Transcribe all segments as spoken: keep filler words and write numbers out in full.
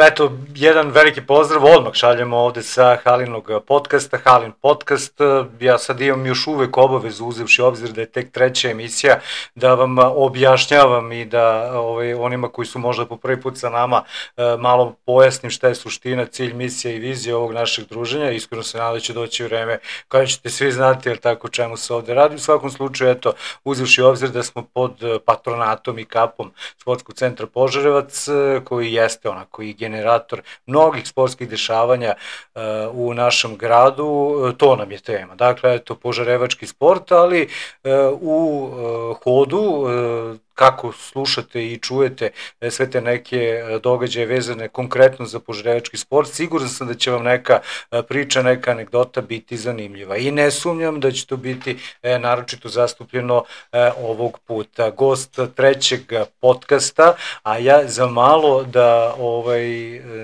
Eto, jedan veliki pozdrav, odmah šaljemo ovde sa Halinog podcasta, Halin podcast. Ja sad imam još uvek obavezu, uzevši obzir da je tek treća emisija, da vam objašnjavam i da ovaj, onima koji su možda po prvi put sa nama malo pojasnim šta je suština, cilj, misija i vizija ovog našeg druženja. Iskreno se nadam da će doći vreme kada ćete svi znati, jer tako čemu se ovde radi. U svakom slučaju, eto, uzevši obzir da smo pod patronatom i kapom Sportskog centra Požarevac, koji jeste onako i generator mnogih sportskih dešavanja uh, u našem gradu, uh, to nam je tema. Dakle, eto, požarevački sport, ali uh, u uh, hodu, uh, kako slušate i čujete sve te neke događaje vezane konkretno za požarevački sport, siguran sam da će vam neka priča, neka anegdota biti zanimljiva. I ne sumnjam da će to biti e, naročito zastupljeno e, ovog puta. Gost trećeg podcasta, a ja za malo da ovaj,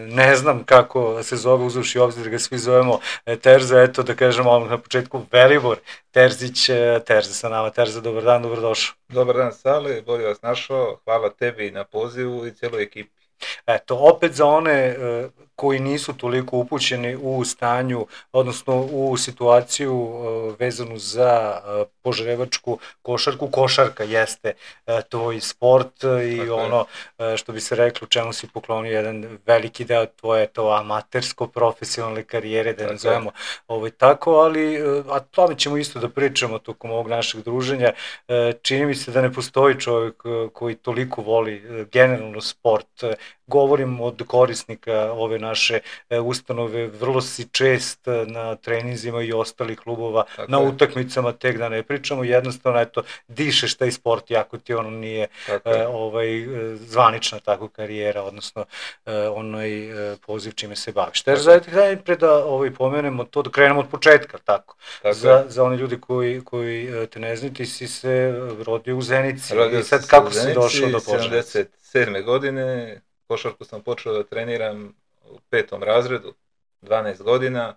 ne znam kako se zove, uzavši obzir da ga svi zovemo e, Terza, eto da kažemo na početku Velibor Terzić, e, Terza sa nama. Terza, dobar dan, dobrodošao. Dobar dan, Sale, bolje vas našao, hvala tebi na pozivu i cijeloj ekipi. Eto, opet za one uh, koji nisu toliko upućeni u stanju, odnosno u situaciju uh, vezanu za uh, požarevačku košarku. Košarka jeste uh, tvoj sport uh, i Tako ono uh, što bi se reklo, čemu si poklonio jedan veliki deo tvoje to amatersko-profesionalne karijere, da ne zovemo ovaj, tako, ali uh, a tome ćemo isto da pričamo tokom ovog našeg druženja. Uh, čini mi se da ne postoji čovjek uh, koji toliko voli uh, generalno sport. Uh, Govorim od korisnika ove naše ustanove, vrlo si čest na treninzima i ostalih klubova, tako na je. Utakmicama tek da ne pričamo, jednostavno eto, dišeš taj sport, jako ti ono nije e, ovaj, zvanična tako karijera, odnosno e, onaj e, poziv čime se baviš. Ter zajedno pre da ovaj, pomenemo to, da krenemo od početka, tako, tako za, za one ljudi koji, koji te ne znaju, ti si se rodio u Zenici. Rodio I sad kako si došao do Požarevca? sedamdeset sedme godine, košarku sam počeo da treniram u petom razredu, dvanaest godina.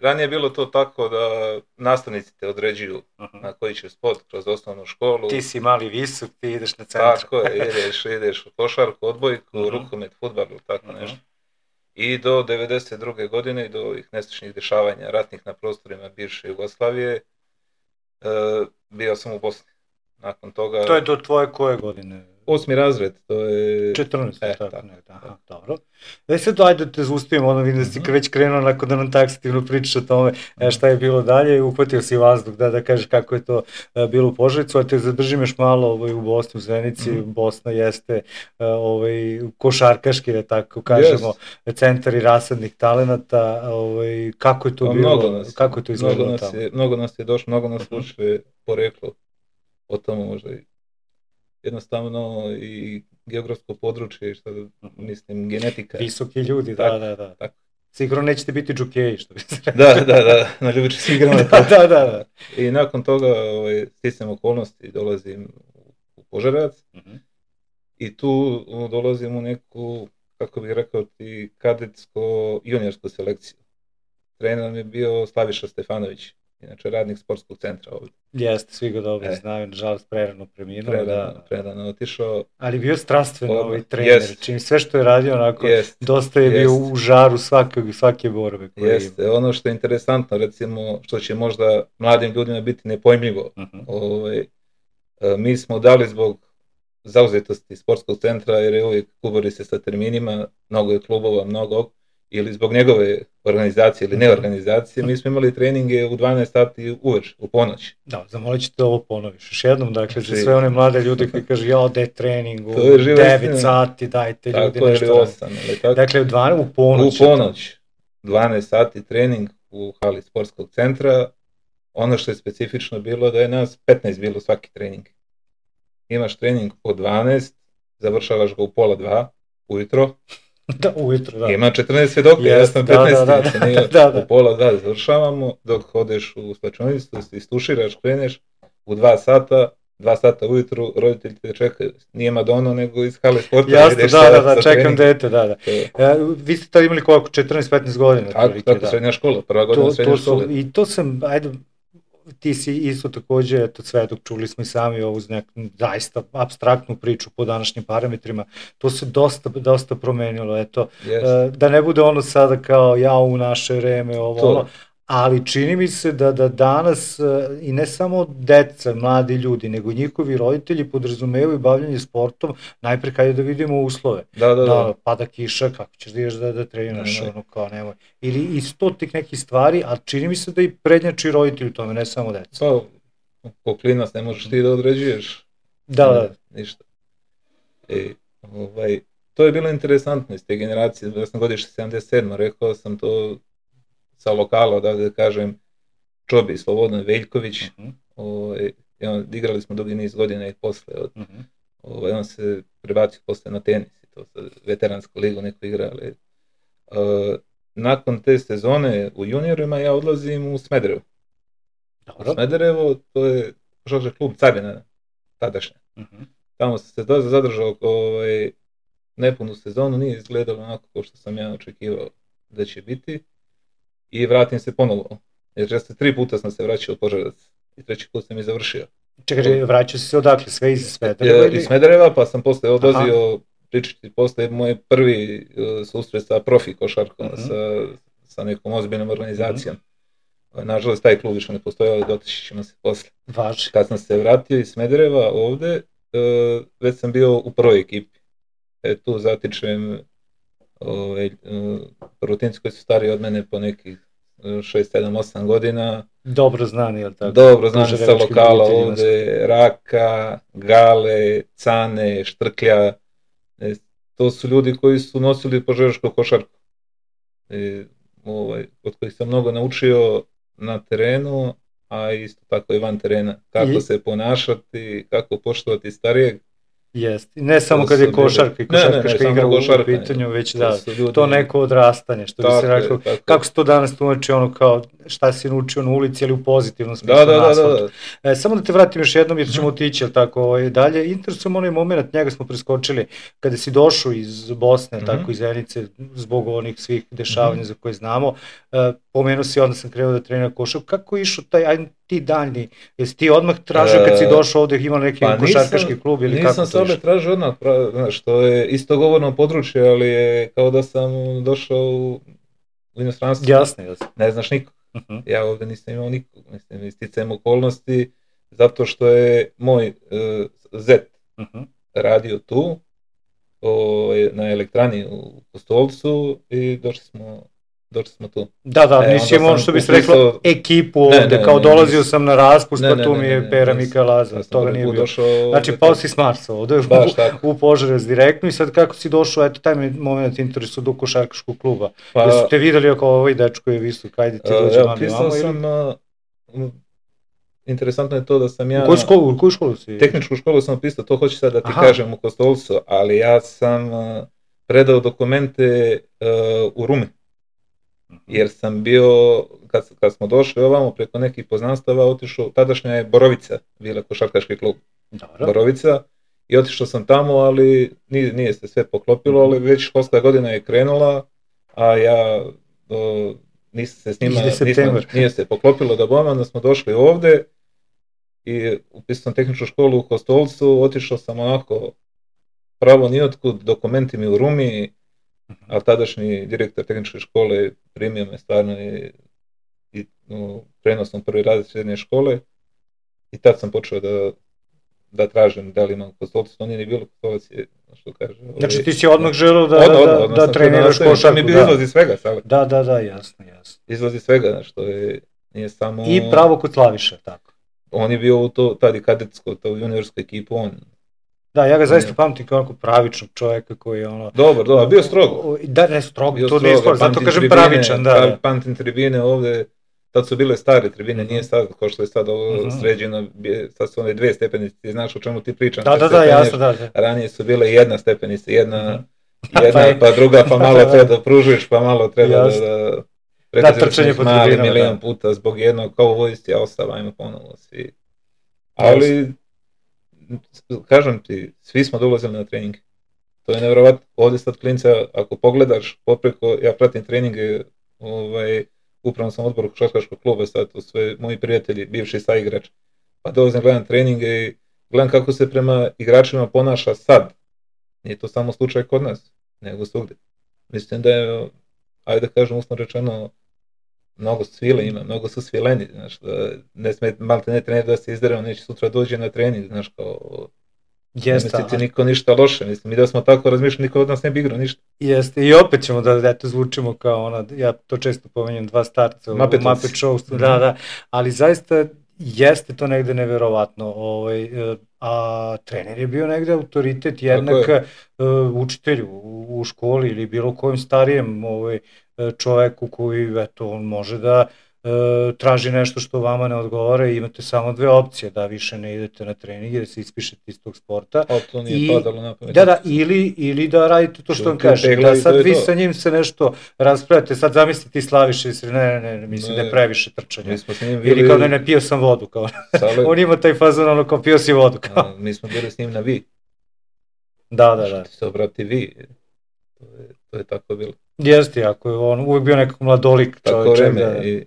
Ranije je bilo to tako da nastavnici te određuju uh-huh. na koji ćeš sport kroz osnovnu školu. Ti si mali visok, ti ideš na centru. Tako je, ideš, ideš u košarku, odbojku, uh-huh. rukomet, fudbal, tako uh-huh. nešto. I do devedeset druge godine i do ovih nesrećnih dešavanja ratnih na prostorima bivše Jugoslavije e, bio sam u Bosni. Nakon toga... To je do tvoje koje godine? Osmi razred, to je... četrnaest, e, tako, tako, ne, aha, dobro. E sad, ajde da te zaustavimo, ono vidim da si mm-hmm. već krenuo nakon da nam taksativno pričaš o tome e, šta je bilo dalje i uhvatio si vazduh da, da kažeš kako je to e, bilo u Požarevcu, a te zadržim još malo ovaj, u Bosni, u Zenici. Mm-hmm. Bosna jeste e, ovaj, košarkaški, da tako kažemo, yes. centar i rasadnih talenata. Ovaj, kako je to o, bilo? Mnogo nas, kako je to izgledalo mnogo tamo? Je, mnogo nas je došlo, mnogo nas mm-hmm. uče poreklo o tome možda i jednostavno i geografsko područje, što mislim, genetika. Visoki ljudi, da, da, da. Tako. Sigurno nećete biti džokeji, što bi se rekao. Da, da, da, na ljubiče si igramo. da, da, da, da. I nakon toga ovaj, sticam okolnosti, dolazim u Požarevac uh-huh. i tu dolazim u neku, kako bih rekao ti, kadetsko-juniorsku selekciju. Trener mi je bio Slaviša Stefanović, inače radnik sportskog centra ovdje. Jeste, svi ga dobro e. znaju, nažalost prerano preminuo. Prerano, da. prerano otišao. Ali bio strastveno ovaj trener, yes. čim sve što je radio onako, yes. dosta je yes. bio u žaru svake, svake borbe. Jeste, ima. Ono što je interesantno, recimo, što će možda mladim ljudima biti nepojmljivo, uh-huh. ovaj, mi smo dali zbog zauzetosti sportskog centra, jer je uvijek kubori se sa terminima, mnogo je klubova, mnogo, ili zbog njegove organizacije ili neorganizacije, mi smo imali treninge u dvanaest sati uveč, u ponoć. Da, zamolit ću te ovo ponoviš. Još jednom, dakle, za sve one mlade ljude koji kaže, ja, da je trening u devet sati, dajte ljudi tako, nešto. Tako, ili osam, ali tako. Dakle, u, dvanaest, u ponoć. U ponoć, dvanaest sati trening u hali sportskog centra. Ono što je specifično bilo da je nas petnaest bilo svaki trening. Imaš trening od dvanaest, završavaš ga u pola dva, ujutro. Da, ujutro, da. Ima četrnaest svjedoka, yes, ja sam petnaest, da, da, da, da, da. U pola dva završavamo, dok hodeš u slačionicu, istuširaš, kreneš, u dva sata, dva sata ujutru, roditelji te čekaju, nije Madonna, nego iz hale sporta. Jasno, da, da, da, čekam dete, da, da. E, vi ste tada imali koliko, četrnaest petnaest godina? Tako, tako, da. Srednja škola, prva godina to, srednje to škole. I to sam, ajde, ti si isto takođe, eto, svedok, čuli smo i sami ovu neku zaista abstraktnu priču po današnjim parametrima, to se dosta, dosta promenilo, eto, yes. Da ne bude ono sada kao ja u naše vreme, ovo, to. ono, ali čini mi se da, da danas i ne samo deca, mladi ljudi, nego njihovi roditelji podrazumevaju bavljanje sportom, najpre kada da vidimo uslove. Da, da, da. da pada kiša, kako ćeš da ideš da, da treniraš, ne, ne. ono kao nemoj. Ili isto tih nekih stvari, a čini mi se da i prednjači roditelji u tome, ne samo deca. Pa, ko klinac ne možeš ti da određuješ. Da, da. Ništa. E, ovaj, to je bilo interesantno iz te generacije, ja sam godište sedamdeset sedam rekao sam to sa lokala, odavde da kažem, Čobi, Slobodan Veljković, uh-huh. ovaj, on, igrali smo dugi niz godina i posle, od, uh-huh. ovaj, on se prebacio posle na tenis, to sa veteransku ligu neko igra, ali uh, nakon te sezone u juniorima ja odlazim u Smederevo. Dobro. U Smederevo, to je košarkaški klub Carina, tadašnja. Uh-huh. Tamo sam se dosta zadržao ovaj, nepunu sezonu, nije izgledalo onako kao što sam ja očekivao da će biti. I vratim se ponovo, jer često tri puta sam se vraćao u Požarevac i treći put sam i završio. Čekaj, vraćao si se odakle, sve iz Smedereva? Iz Smedereva, pa sam posle odlazio pričati posle moj prvi uh, susret sa profi košarkom, uh-huh. sa, sa nekom ozbiljnom organizacijom. Uh-huh. Nažalost, taj klub više ne postoji, ali dotići ćemo se posle. Važi. Kad sam se vratio iz Smedereva ovde, uh, već sam bio u prvoj ekipi. E, tu zatičem Ove, Rotinci koji su stariji od mene po nekih šest, sedam, osam godina. Dobro znani, je li tako? Dobro znani sa lokala ovde, Raka, Gale, Cane, Štrklja. E, to su ljudi koji su nosili požarevačku košarku. E, ovaj, od kojih sam mnogo naučio na terenu, a isto tako i van terena. Kako I... se ponašati, kako poštovati starijeg. Jeste, ne samo kad je košarka i košarkaška igra u pitanju, već da, ljudi, to neko odrastanje, što bi se rekao, kako se to danas tumači, ono kao šta si naučio na ulici, ali u pozitivnom smislu da, da, na asfaltu. Da, da. E, samo da te vratim još jednom, jer ćemo otići, ali tako, ovaj, dalje, interesujemo onaj moment, njega smo preskočili, kada si došao iz Bosne, mm-hmm. tako iz Zenice, zbog onih svih dešavanja mm-hmm. za koje znamo, e, pomenuo si, onda sam krenuo da trenira košarku, kako je išao taj, aj, ti daljni, jesi ti odmah tražio kad si došao ovde, imao neki pa košarkaški klub ili kako to Nisam se ovde tražio odmah, znaš, to je isto govorno područje, ali je kao da sam došao u inostranstvo. Jasno, jasno. Ne znaš nikog. Uh-huh. Ja ovde nisam imao nikog, mislim, isticajem okolnosti, zato što je moj uh, zet uh-huh. radio tu, o, na elektrani u Kostolcu i došli smo došli smo tu. Da, da, e, nisi imao što bi se upisao... reklo ekipu ovde, ne, ne, kao ne, dolazio ne, sam na raspust, pa tu mi je Pera Mika Lazar, toga nije bilo. Došao, znači, pao si s Marsa ovde u, u Požarevac direktno i sad kako si došao, eto, taj me moment interesu do košarkaškog kluba. Pa, jesu te videli ako ovaj dečko je visok, ajde ti dođe uh, mami vamo ili? Sam, uh, interesantno je to da sam ja... U koju školu, u koju školu si? Tehničku školu sam pisao, to hoću sad da ti Aha. kažem u Kostolcu, ali ja sam uh, predao dokumente uh, u Rumi. Jer sam bio, kad, kad smo došli ovamo preko nekih poznanstava, otišao, tadašnja je Borovica, bila košarkaški klub. Dobro. Borovica, i otišao sam tamo, ali nije, nije se sve poklopilo, ali već školska godina je krenula, a ja o, nisam se s njima, nisam, nije se poklopilo da bom, onda smo došli ovde i upisao sam tehničku školu u Kostolcu, otišao sam onako pravo nijotkud, dokumenti mi u Rumi, a tadašnji direktor tehničke škole primio me stvarno i, i no, krenuo sam prvi razred srednje škole i tad sam počeo da, da tražim da li imam Kostolcu, to nije ni bilo Kostolac je, što kaže. Znači ovaj, ti si odmah želeo da, odmah, da, odmah, da treniraš košarku. Mi bi izlazi svega, savjeti. Da, da, da, jasno, jasno. Izlazi svega, što je, nije samo... I pravo kod Slaviša, tako. On je bio u to, tad i kadetsko, to juniorsku ekipu, on... Da, ja ga zaista pamtim kao onako pravičnog čovjeka koji je ono... Dobar, dobar, bio strogo. Da, ne strogo, bio to nije strogo, zato kažem pravičan, da. da. Pamtim tribine ovde, tad su bile stare tribine, nije sad kao što je sad ovo uh-huh. sređeno, sad su one dve stepenice, ti znaš o čemu ti pričam. Da, da, da, jasno, da, da. Ranije su bile jedna stepenica, jedna, uh-huh. jedna pa druga, pa malo treba da pružiš, pa malo treba da... da da, trčanje po tribinama, da. Milijon puta zbog jednog, kao u vojsci, ja ostavajmo ponovo svi. Ali... kažem ti, svi smo dolazili na treninge. To je nevjerovatno. Ovdje sad klinca, ako pogledaš popreko, ja pratim treninge ovaj, upravo sam odboru košarkaškog kluba, sad to sve moji prijatelji, bivši saigrač, pa dolazim gledam treninge i gledam kako se prema igračima ponaša sad. Nije to samo slučaj kod nas, nego svugdje. Mislim da je, ajde da kažem usno rečeno, mnogo svile ima, mnogo su svileni, znaš, da ne smije malo ne trener da se izdere, on neće sutra dođe na trening, znaš, kao... Jeste, ne mislite niko ništa loše, mislim, mi da smo tako razmišljali, niko od nas ne bi igrao ništa. Jeste, i opet ćemo da eto zvučimo kao ona, ja to često pomenjam, dva starca u Muppet Show, mm-hmm. da, da, ali zaista jeste to negde neverovatno, ovaj, a trener je bio negde autoritet jednak učitelju u školi ili bilo kojem starijem ovaj, čoveku koji, eto, on može da e, traži nešto što vama ne odgovara i imate samo dve opcije, da više ne idete na trening, da se ispišete iz tog sporta. A to nije I, padalo na pamet. Da, da, ili, ili da radite to što vam kaže, da sad vi sa njim se nešto raspravljate, sad zamislite ti Slaviše i ne, ne, ne, mislim ne, da je previše trčanja. Bili... Ili kao ne, ne, pio sam vodu, kao Sale... on ima taj fazon, ono kao pio si vodu, kao. A, mi smo bili s njim na vi. Da, da, da. Što ti se obrati vi, to je, to je tako bilo. Jeste, jako je on uvijek bio nekako mladolik čovječe. Tako vreme, da... i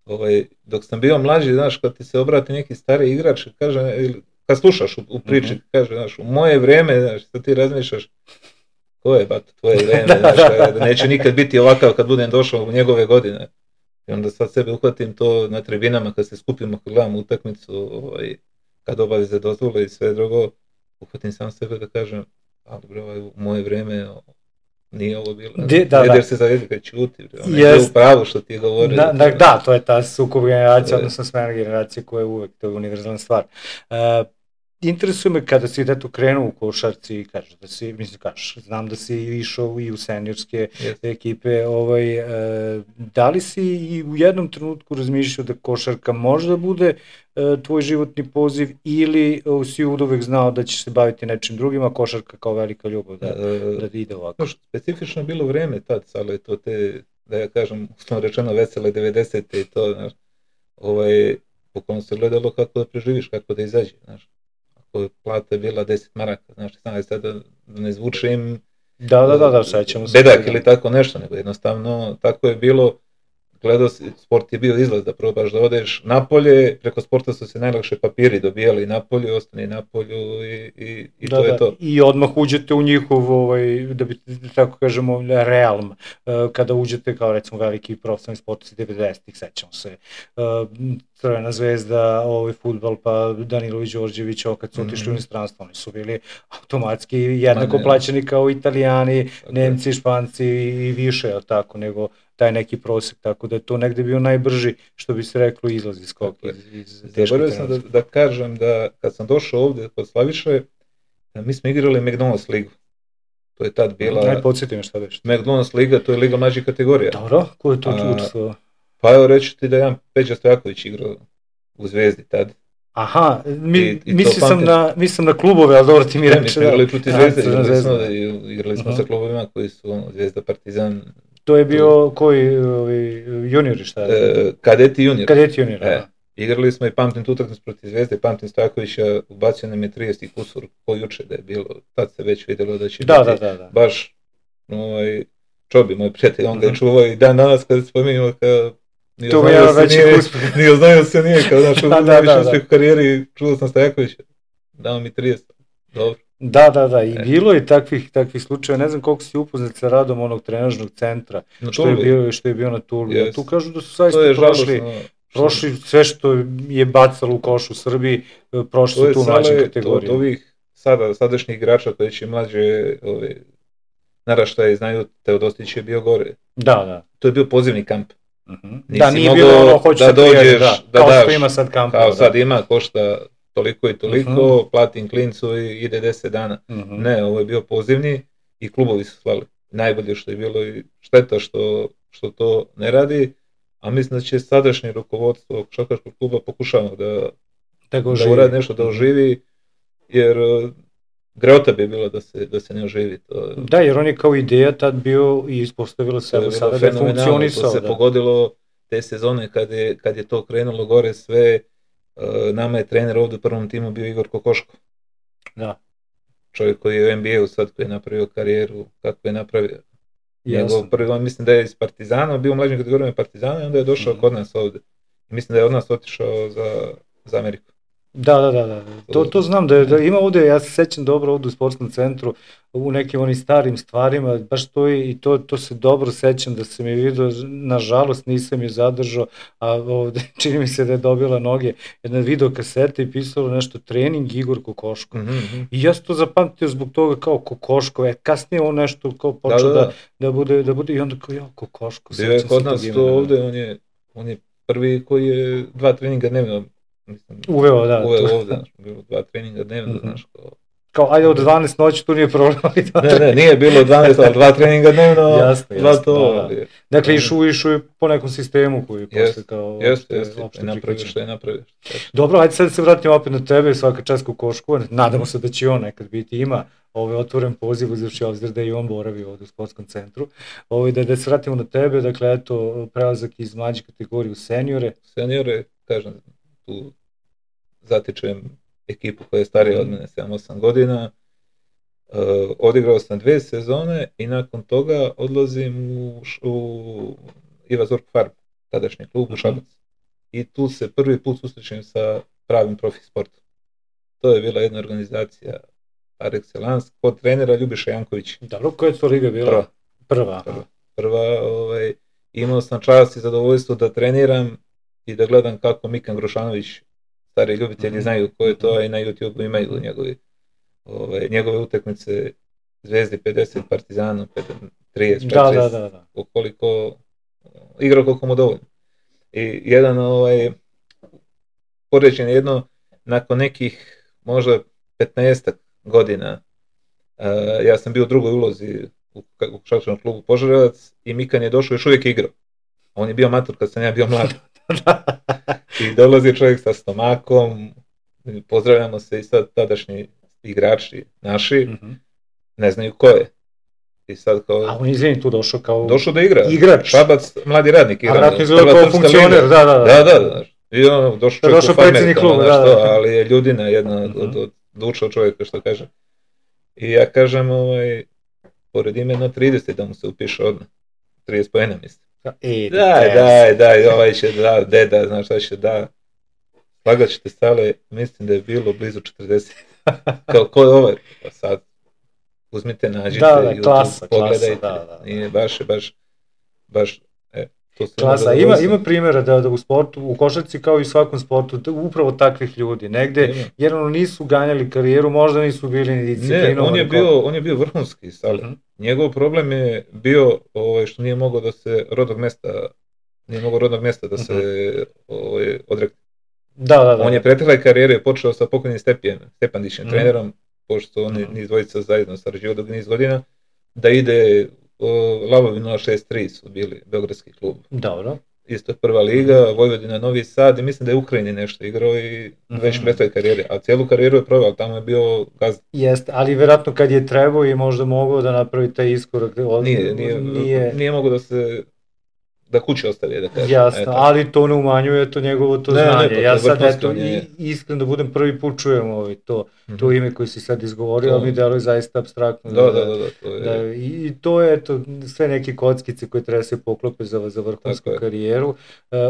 ovaj, dok sam bio mlađi, znaš, kad ti se obrati neki stari igrač, kaže, ili, kad slušaš u, u priči, mm-hmm. kaže, znaš, u moje vreme, znaš, što ti razmišljaš, ko je, bato, tvoje vreme, znaš, da neće nikad biti ovakav kad budem došao u njegove godine. I onda sad sebe uhvatim to na tribinama, kad se skupimo, kad gledam utakmicu, ovaj, kad obaveze dozvole i sve drugo, uhvatim sam sebe da kažem, ali bre, ovaj, u moje vreme, nije ovo bilo, De, da, da. se za jezika čuti, ono je bilo pravo što ti je govorio. Da, da, da, to je ta sukob generacija, odnosno smena generacije koja je uvek, to je univerzalna stvar. Uh, interesuje me kada si eto krenuo u košarci i kažeš da si, mislim kažeš, znam da si išao i u seniorske yes. ekipe, ovaj, uh, da li si i u jednom trenutku razmišljao da košarka možda bude uh, tvoj životni poziv ili uh, si uvek znao da ćeš se baviti nečim drugim, a košarka kao velika ljubav da, uh, da ide ovako? Specifično je bilo vreme tad, ali to te, da ja kažem, uslovno rečeno vesele devedesete i to, znaš, ovaj, pokolno se gledalo kako da preživiš, kako da izađe, znaš. Plata je bila deset maraka, znači znam sada da ne zvučim da, da, da, da, sećamo se bedak ili tako nešto, nego jednostavno tako je bilo, gledao si, sport je bio izlaz da probaš da odeš napolje, preko sporta su se najlakše papiri dobijali napolje, ostane napolju i, i, i da, to da, je to. I odmah uđete u njihov, ovaj, da bi tako kažemo, realm, kada uđete kao recimo veliki profesionalni sportisti devedesetih, sećamo se, Crvena zvezda, ovaj fudbal, pa Danilović, Đorđević, kad su otišli mm-hmm. u inostranstvo, oni su bili automatski jednako Ma, plaćeni kao Italijani, tako Nemci, je. Španci i više, je tako, nego taj neki prosek, tako da je to negde bio najbrži, što bi se reklo, izlaz iz skoka. Zaboravio sam da, da kažem da kad sam došao ovdje kod Slaviše, mi smo igrali McDonald's ligu. To je tad bila... Najde podsjeti me šta već. McDonald's liga, to je liga mlađih kategorija. Dobro, ko je to učestvovao? Pa evo reći ti da je jedan Peđa Stojaković igrao u Zvezdi tad. Aha, mi, I, i mislio sam na, mislim na klubove, ali dobro ti mi reći. Mi smo igrali protiv Zvezde, igrali smo, igrali smo uh-huh. sa klubovima koji su ono, Zvezda, Partizan. To je bio to... koji ovi, juniori šta je? E, kadeti junior. Kadeti junior, e, igrali smo i pamtim tu utakmicu protiv Zvezde, pamtim Stojakovića, ubacio nam je trideset kusur po juče da je bilo, tad se već vidjelo da će da, biti da, da, da. baš ovaj, Čobi, moj prijatelj, on ga je čuvao i dan danas kad spominjamo kao Nije to je veći uspjeh. Nije znao se nije, kao znaš, da, da, da, uspjeh u karijeri, čuo sam Stojakovića, dao mi trideset, dobro. Da, da, da, i e. bilo je takvih, takvih slučajeva, ne znam koliko si upoznat sa radom onog trenažnog centra, što je, bio, što je bio na Tuli. Yes. Tu kažu da su saista prošli, žalostno, prošli sve što je bacalo u koš u Srbiji, prošli su tu mlađe kategorije. To od ovih sada, sadašnjih igrača koji će mlađe ove, naraštaje znaju, Teodosić je bio gore. Da, da. To je bio pozivni kamp. Uh-huh. Da, nije bilo ono, hoće da dođeš, da, da kao daš, što ima sad kampa. Kao da. Sad ima, košta toliko i toliko, uh-huh. platim klincu i ide deset dana. Uh-huh. Ne, ovo je bio pozivni i klubovi su slali. Najbolje što je bilo i šteta što, što to ne radi, a mislim da će sadašnje rukovodstvo košarkaškog kluba pokušavamo da, da, da uradi nešto, da oživi, jer greota bi bilo da se, da se ne oživi. To, da, jer on je kao ideja tad bio i ispostavilo se evo sada da je funkcionisao. To se da. pogodilo te sezone kad je, kad je to krenulo gore sve. Uh, nama je trener ovdje u prvom timu bio Igor Kokoško. Da. Čovjek koji je u N B A-u sad, koji je napravio karijeru, kako je napravio. Njegov prvi, mislim da je iz Partizana, bio u mlađim kategorijama Partizana i onda je došao mm-hmm. kod nas ovdje. I mislim da je od nas otišao za, za Ameriku. Da, da, da, da. To, to znam da, je, da ima ovdje, ja se sećam dobro ovdje u sportskom centru, u nekim onim starim stvarima, baš to i to, to se dobro sećam da sam je vidio, nažalost nisam je zadržao, a ovdje čini mi se da je dobila noge, jedna video kaseta i pisalo nešto trening Igor Kokoško. Mm-hmm. I ja sam to zapamtio zbog toga kao Kokoško, e, kasnije on nešto kao počeo da, da, da. da, bude, da bude i onda kao ja Kokoško. Bio je kod nas to ovdje, on je, on je prvi koji je dva treninga dnevno Mislim, uveo, da. Uveo ovdje, znaš, bilo dva treninga dnevno, mm-hmm. znaš, kao... Kao, ajde od dvanaest noći, tu nije problem. ne, ne, nije bilo dvanaest, ali dva treninga dnevno, jasno, dva jasno, to. Da, da. Dakle, išu, išu po nekom sistemu koji jest, posle kao... Jeste, jeste, i napraviš što je napraviš. Dobro, ajde sad se vratimo opet na tebe, svaka čast Kokošku, nadamo se da će on nekad biti, ima ovaj otvoren poziv, uzevši obzir da i on boravi ovdje u sportskom centru. Ovaj, da, da se vratimo na tebe, dakle, eto, prelazak iz mlađe kategorije u seniore. Seniore, kažem, tu zatičem ekipu koja je starija od mene sedam osam godina, uh, odigrao sam dvije sezone i nakon toga odlazim u, u Iva Zork Farm, tadašnji klub u Šabac. I tu se prvi put susrećem sa pravim profi sportom. To je bila jedna organizacija par excellence, kod trenera Ljubiša Janković. Dobro, koja je to liga bila? Prva. Prva. Prva. Prva ovaj, imao sam čast i zadovoljstvo da treniram i da gledam kako Mikan Grošanović, stari ljubitelji mm-hmm. znaju ko je to, i na YouTube imaju njegovi, ove, njegove utakmice Zvezdi pedeset, Partizanu trideset, da, da, da, da. Ukoliko igra koliko mu dovoljno. I jedan ovaj, poređen jedno, nakon nekih možda petnaestak godina, uh, ja sam bio u drugoj ulozi u košarkaškom klubu Požarevac i Mikan je došao, još uvijek igrao. On je bio matur kad sam ja bio mlad. I dolazi čovjek sa stomakom, pozdravljamo se i sad tadašnji igrači naši, mm-hmm. ne znaju ko je. I sad kao... A on je izvini tu došao kao... Došao da igra. Igrač. Šabac, mladi radnik. A vratno izgleda kao funkcioner, da, da, da. Da, da, da. I on došao čovjek u farmer, klub, da, da. ali je ljudina jedna mm-hmm. od, od duša čovjeka, što kaže. I ja kažem, ovaj, pored imena trideset da mu se upiše odmah. trideset pojena mislim. E, daj, daj, daj, ovaj će da, deda, znaš šta će da. Slagat ćete stale, mislim da je bilo blizu četrdeset. Kao, ko je ovaj? Pa sad, uzmite, nađite, da, da, YouTube, klasa, pogledajte. Klasa, da, da. Nije baš, baš, baš, e, to se klasa, ima, ima primjera da, da u sportu, u košarci kao i u svakom sportu, da, upravo takvih ljudi. Negde, ima. Jer ono nisu ganjali karijeru, možda nisu bili ni disciplinovani. Ne, on je bio, on je bio vrhunski, ali uh-huh. njegov problem je bio ovaj, što nije mogao da se rodnog mjesta, nije mogao rodnog mjesta da se uh-huh. ovaj, odrekne. Da, da, da. On je pretekle karijere počeo sa pokojnim Stepijem, Stepandićem, uh-huh. trenerom, pošto oni uh-huh. niz dvojica zajedno sarađivao dok niz godina, da ide uh, Lavovi nula šest tri su bili beogradski klub. Dobro. Isto prva liga, Vojvodina, Novi Sad i mislim da je Ukrajini nešto igrao i mm-hmm. već pretekle karijere, a cijelu karijeru je proveo, tamo je bio gazda. Jeste, ali vjerojatno kad je trebao i možda mogao da napravi taj iskorak. Nije, nije, nije... nije mogao da se, da kuće ostavi, da kažem. Jasno, eto. Ali to ne umanjuje to njegovo to ne, znanje. Ne, to, ja sad eto, i, iskren da budem prvi put čujem ovaj, to, mm-hmm. to ime koje si sad izgovorio, ali mi deluje zaista apstraktno. Da, da, da. da, to je... da I to je eto, sve neke kockice koje treba se poklope za, za vrhunsku karijeru, uh,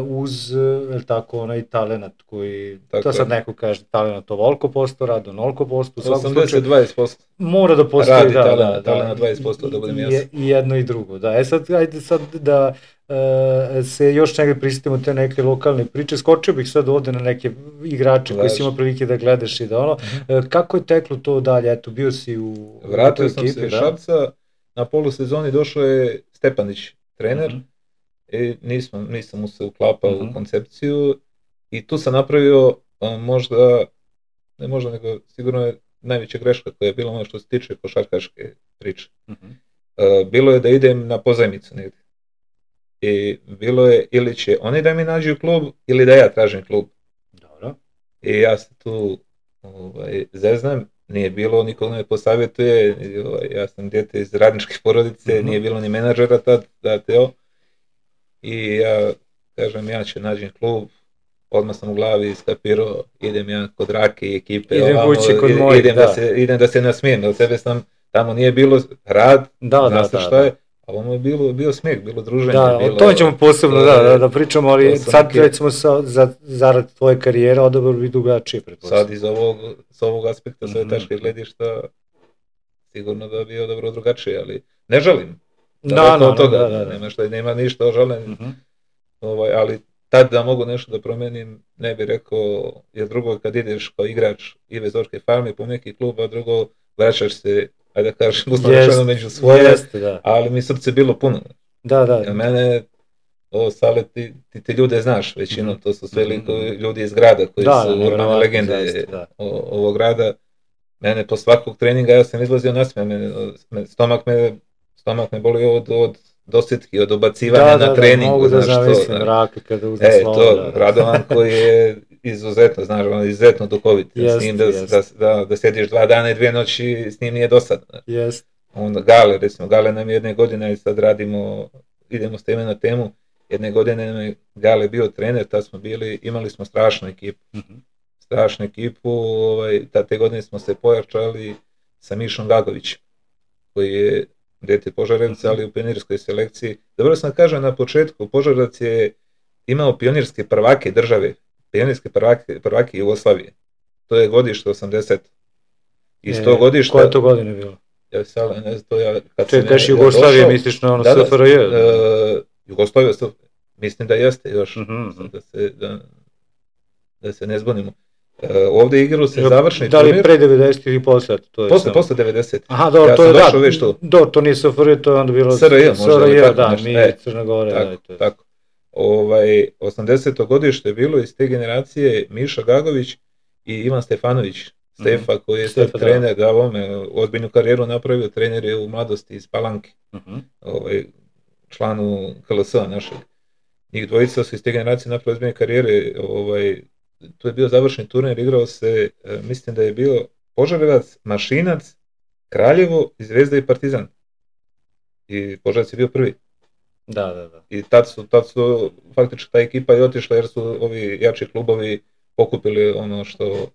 uz, el tako, onaj talenat koji, tako to sad je. Neko kaže, talenat ovoliko posto, rad onoliko posto, u svakom slučaju. osamdeset dvadeset posto. Mora da postoji, radi, da, talenat, da, talenat dvadeset posto, da budem jasno. I jedno i drugo, da. E sad, ajde sad da Uh, se još negdje prisjetimo te neke lokalne priče, skočio bih sad ovdje na neke igrače koji si imao prilike da gledaš i da ono, uh-huh. uh, kako je teklo to dalje, eto bio si u... Vratio sam ekipi, se iz Šapca, na polusezoni došao je Stepanić, trener, uh-huh. i nisam, nisam mu se uklapao uh-huh. u koncepciju i tu sam napravio uh, možda, ne možda nego sigurno je najveća greška koja je bila ono što se tiče košarkaške priče. Uh-huh. Uh, bilo je da idem na pozajmicu negdje. I bilo je ili će oni da mi nađu klub ili da ja tražim klub. Dobro. I ja se tu ovaj, zeznam, nije bilo, nikog me posavjetuje, ovaj, ja sam dijete iz radničke porodice, mm-hmm. nije bilo ni menadžera tad, da teo. I ja kažem, ja ću nađem klub, odmah sam u glavi iskapirao, idem ja kod Rake i ekipe, idem, ovamo, kod moj, idem, da. Da se, idem da se nasmijem, od sebe sam, tamo nije bilo rad, da, zna se da, šta da. je. a ono je bilo, bio smijeh, bilo druženje. Da, bilo, to ćemo posebno to, da, da, da pričamo, ali sad neke... recimo sa, za, zarad tvoje karijere odabor bi drugačije, pretpostavljam. Sad iz ovog, s ovog aspekta, sve mm-hmm. tačke gledišta, sigurno da bi odabro drugačije, ali ne žalim. Da, da, no, toga, da, da, da. Nema, šta, nema ništa o žalenju, mm-hmm. ovaj, ali tad da mogu nešto da promenim, ne bih rekao, jer drugo kad ideš kao igrač Ive Zorke Farme po neki klub, a drugo vraćaš se, ajde da kažem, uslovno među svoje, jest, ali mi srce bilo puno. Da, da. Ja, mene, o Sale, ti, ti, ti ljude znaš većinom, to su sve mm-hmm. ljudi iz grada koji da, su urbane legende zaista, o, ovog grada. Mene po svakog treninga ja sam izlazio nasmijan, me, stomak me, stomak me bolio od, od dosjetki, od obacivanja da, na treningu. Da, da, mogu da zamislim rake kada uzme e, slovo. To, da, Radovan koji je izuzetno, znaš, on je izuzetno duhovit. Jest, s njim da, da, da, da sjediš dva dana i dvije noći, s njim nije dosadno. Jest. Onda Gale, recimo, Gale nam jedne godine, i sad radimo, idemo s teme na temu, jedne godine nam je Gale bio trener, tad smo bili, imali smo strašnu ekipu. Mm-hmm. strašnu ekipu, ovaj, te godine smo se pojačali sa Mišom Gagovićem, koji je dijete Požarevca, ali u pionirskoj selekciji. Dobro sam kažem na početku, Požarevac je imao pionirske prvake države, pionirske prvake, prvake Jugoslavije. To je godište osamdeset. Iz tog godišta... Koje to godine bilo? Ja sad, ne znam, to ja... Če kažeš Jugoslavije, misliš na ono S F R J? Da, uh, Jugoslavija, mislim da jeste još, mm-hmm. da, se, da, da se ne zbunimo. Uh, ovdje igrao se završni da li turnir. Pre devedesetih ili posle? To je posle, posle devedesetih. Aha, dobro, ja to je da, već to. Do, to nije S F R J, to je onda bilo S R J, možda. S R J, tako, da, nešto. mi e, Crna Gora. Tako, da, to je. tako. Ovaj, osamdeseto godište je bilo iz te generacije Miša Gagović i Ivan Stefanović, Stefa, mm-hmm. koji je sad Stefa, trener, da, ovome, ozbiljnu karijeru napravio, trener je u mladosti iz Palanke, mm-hmm. ovaj, članu K L S-a našeg. Njih dvojica su iz te generacije napravili ozbiljne karijere, ovaj, to je bio završni turnir, igrao se, mislim da je bio Požarevac, Mašinac, Kraljevo, Zvezda i Partizan. I Požarevac je bio prvi. Da, da, da. I tad su, tad su faktički ta ekipa je otišla jer su ovi jači klubovi pokupili ono što,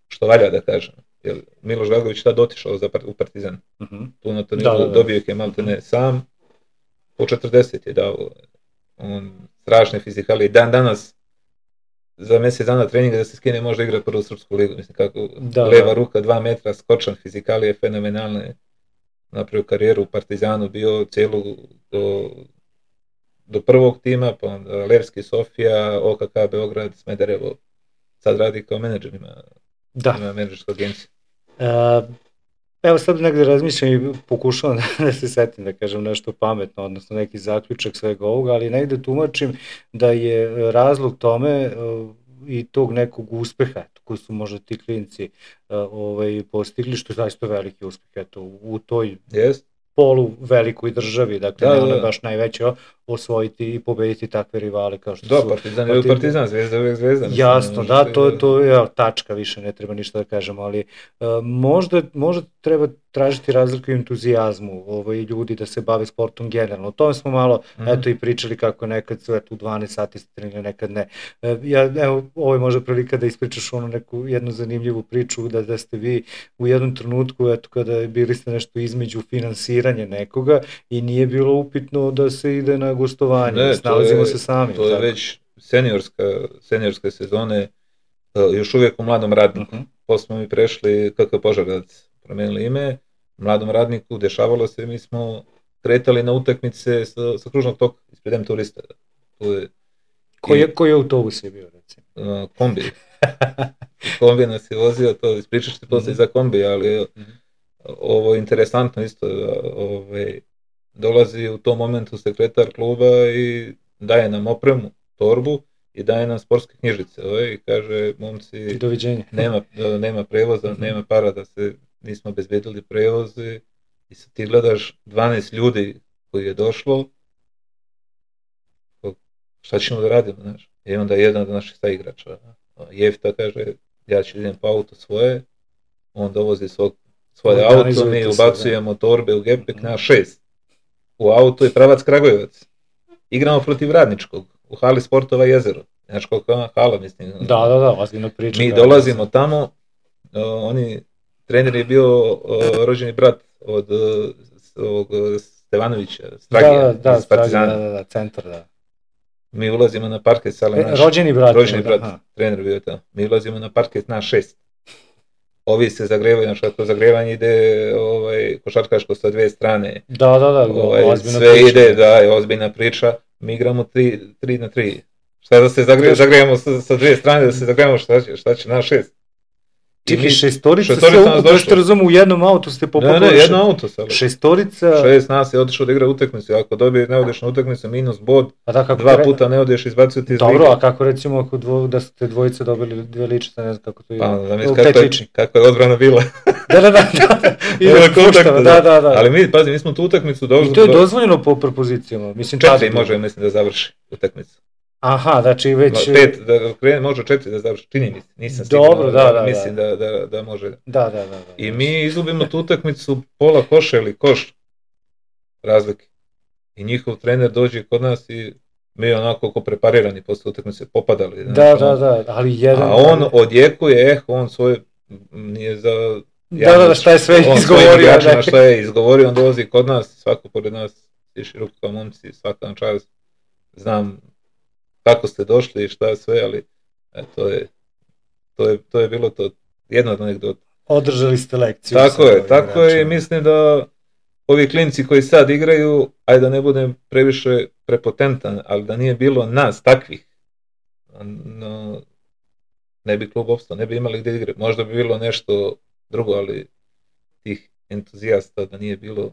što valja da kažem. Jer Miloš Gagović tad otišao za, u Partizan. Uh-huh. Tu na turniru da, da, da. dobio je maltene sam, po četrdeset je dao. On strašne fizikalije. Dan danas za mjesec dana treninga da se skine može igrati prvu srpsku ligu. Mislim kako da, leva da. ruka, dva metra, skočan, fizikalije fenomenalne. Napravio karijeru u Partizanu, bio cijelu do, do prvog tima, pa onda Levski, Sofija, O K K, Beograd, Smederevo. Sad radi kao menadžer, ima, da. ima menadžersku agenciju. Uh, evo sad negdje razmišljam i pokušavam da se setim da kažem nešto pametno, odnosno neki zaključak svega ovoga, ali negdje tumačim da je razlog tome uh, i tog nekog uspeha koji su možda ti klinci uh, ovaj, postigli, što je zaista veliki uspeh eto, u toj yes. polu velikoj državi, dakle da, ne da, ona da. baš najveće osvojiti i pobediti takve rivale kao što da, su... Partizan je Partizan, Partizan, Zvezda uvijek Zvezda. Mislim, jasno, da, to, to je tačka, više ne treba ništa da kažemo, ali uh, možda, možda treba tražiti razliku i entuzijazmu ovaj, ljudi da se bave sportom generalno. O tome smo malo mm-hmm. eto, i pričali kako nekad su eto, u dvanaest sati trenirali, nekad ne. Uh, ja, evo, ovo je možda prilika da ispričaš onu neku jednu zanimljivu priču, da, da ste vi u jednom trenutku, eto, kada bili ste nešto između finansiranja nekoga i nije bilo upitno da se ide na gostovanje, ne, snalazimo je, se sami. To je tako. Već seniorska, seniorske sezone, još uvijek u mladom radniku. Uh-huh. Posle smo mi prešli, kako je Požarevac promenili ime, mladom radniku dešavalo se, mi smo kretali na utakmice sa, sa kružnog toka, ispred M turista. To je, koji, je, koji autobus je bio, recimo? Uh, kombi. Kombi nas je vozio, to ispričaš ti posle uh-huh. za kombi, ali uh-huh. ovo je interesantno isto, ovaj, dolazi u tom momentu sekretar kluba i daje nam opremu, torbu i daje nam sportske knjižice ovaj, i kaže momci doviđenja. Nema, nema prevoza, mm-hmm. nema para da se nismo obezbedili prevoze i sad ti gledaš dvanaest ljudi koji je došlo, šta ćemo da radimo, znaš? I onda jedan od naših saigrača, Jefta kaže ja ću idem po auto svoje, on dovozi svog, svoje auto, mi ubacujemo torbe u gepek mm-hmm. na šest. U auto je pravac Kragujevac. Igramo protiv Radničkog u hali Sportova Jezero. Znaš koliko je hala, mislim. Da, da, da, ozbiljno priča. Mi dolazimo tamo, uh, oni, trener je bio uh, rođeni brat od uh, ovog Stevanovića, Stragija, da, da, iz Partizana. Da, da, da, centar, da. Mi ulazimo na parket, sale e, naš... Rođeni brat. Rođeni brat, da, trener bio tamo. Mi ulazimo na parket na šest. Ovi se zagrevaju, znači kako zagrevanje ide ovaj, košarkaško sa dve strane. Da, da, da, ovaj, ozbiljna sve priča. ide, da, je ozbiljna priča. Mi igramo tri, tri na tri. Šta da se zagre, zagrevamo sa, sa dve strane, da se zagrevamo šta će, šta će na šest. Čekaj, šestorica, šestorica sve ukupno, što razumu, u jednom autu ste popopali. Ne, ne, jedno auto sad. Šestorica... Šest nas je otišao da igra utakmicu, ako dobije ne odeš na utakmicu, minus bod, da, dva tre... puta ne odeš, izbacuju ti iz Dobro, a kako recimo ako dvo, da ste dvojice dobili dve ličice, ne znam kako to je. Pa, da mi kako, kako je odbrana bila. da, da, da, da, ide puštava, da, da, da. Ali mi, pazi, mi smo tu utakmicu došli... I to je dozvoljeno po propozicijama, mislim... Četiri može, mislim, da završi utakmicu. Aha, znači već... Pet, da krene, može četiri da završi, čini mi se, nisam stigao. Dobro, da, da, mislim da. Da, da, da može. Da, da, da, da. I mi izgubimo tu utakmicu pola koša ili koš razlike. I njihov trener dođe kod nas i mi onako ko preparirani posle utakmice popadali. Da, znači, da, da, ali jedan... A on odjekuje, eh, on svoje, nije za... Da, da, da, šta je sve on izgovorio. On šta je izgovorio, on dolazi kod nas, svako pored nas, svi široki kao momci, svaka na čast, znam kako ste došli i šta je sve, ali e, to, je, to, je, to je bilo to jedna od anegdota. Održali ste lekciju. Tako je, tako je i mislim da ovi klinci koji sad igraju, ajde da ne budem previše prepotentan, ali da nije bilo nas takvih, no, ne bi klub opstao, ne bi imali gdje igre. Možda bi bilo nešto drugo, ali tih entuzijasta da nije bilo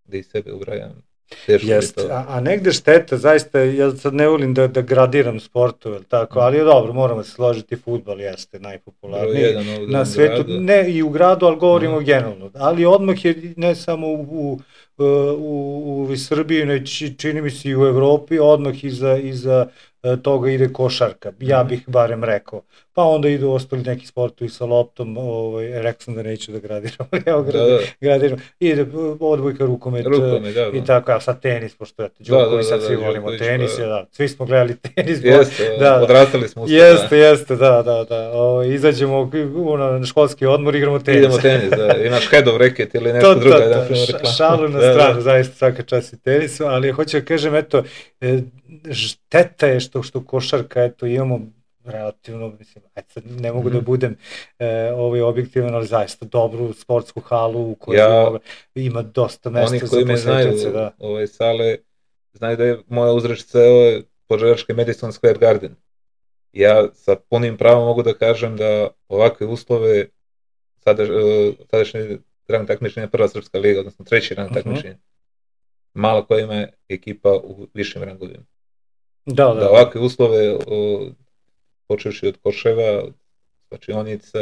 gdje i sebe ubrajam. Jeste, a, a negde šteta, zaista, ja sad ne volim da, da gradiram sportu, jel tako, ali je dobro, moramo se složiti, fudbal jeste najpopularniji na svetu, ne i u gradu, ali govorimo mm. generalno, ali odmah je ne samo u, u, u, u Srbiji, ne čini mi se i u Evropi, odmah iza, iza toga ide košarka, ja bih barem rekao. Pa onda idu ostali neki sportovi sa loptom, ovaj, rekao sam da neću da gradiram, evo da, gradiram, ide odbojka, rukomet, rukomet da, da. I tako, a sad tenis, pošto eto, Đokovi sad svi volimo tenis, da. Da, svi smo gledali tenis. Jeste, da, odrastali smo uspred. Jeste, jeste, da, da, da, o, izađemo na školski odmor, igramo tenis. Idemo tenis, da, imaš head of racket ili nešto drugo. To, to, to, šalu na stranu, da, da. Zaista svaka čast i tenisu, ali hoću da kažem, eto, šteta je što, što košarka, eto, imamo relativno, mislim, ajde sad ne mogu mm-hmm. da budem e, ovaj objektivan, ali zaista dobru sportsku halu u kojoj ja, ima dosta mesta za posjetioce. Da. Ove sale, znaju da je moja uzrečica je Požarevački Madison Square Garden. Ja sa punim pravom mogu da kažem da ovakve uslove sada, sadašnje rang takmičenja prva srpska liga, odnosno treći rang mm-hmm. takmičenja, malo koja ima ekipa u višim rangovima. Da, da. Da ovakve uslove o, počevši od koševa, od svačionica,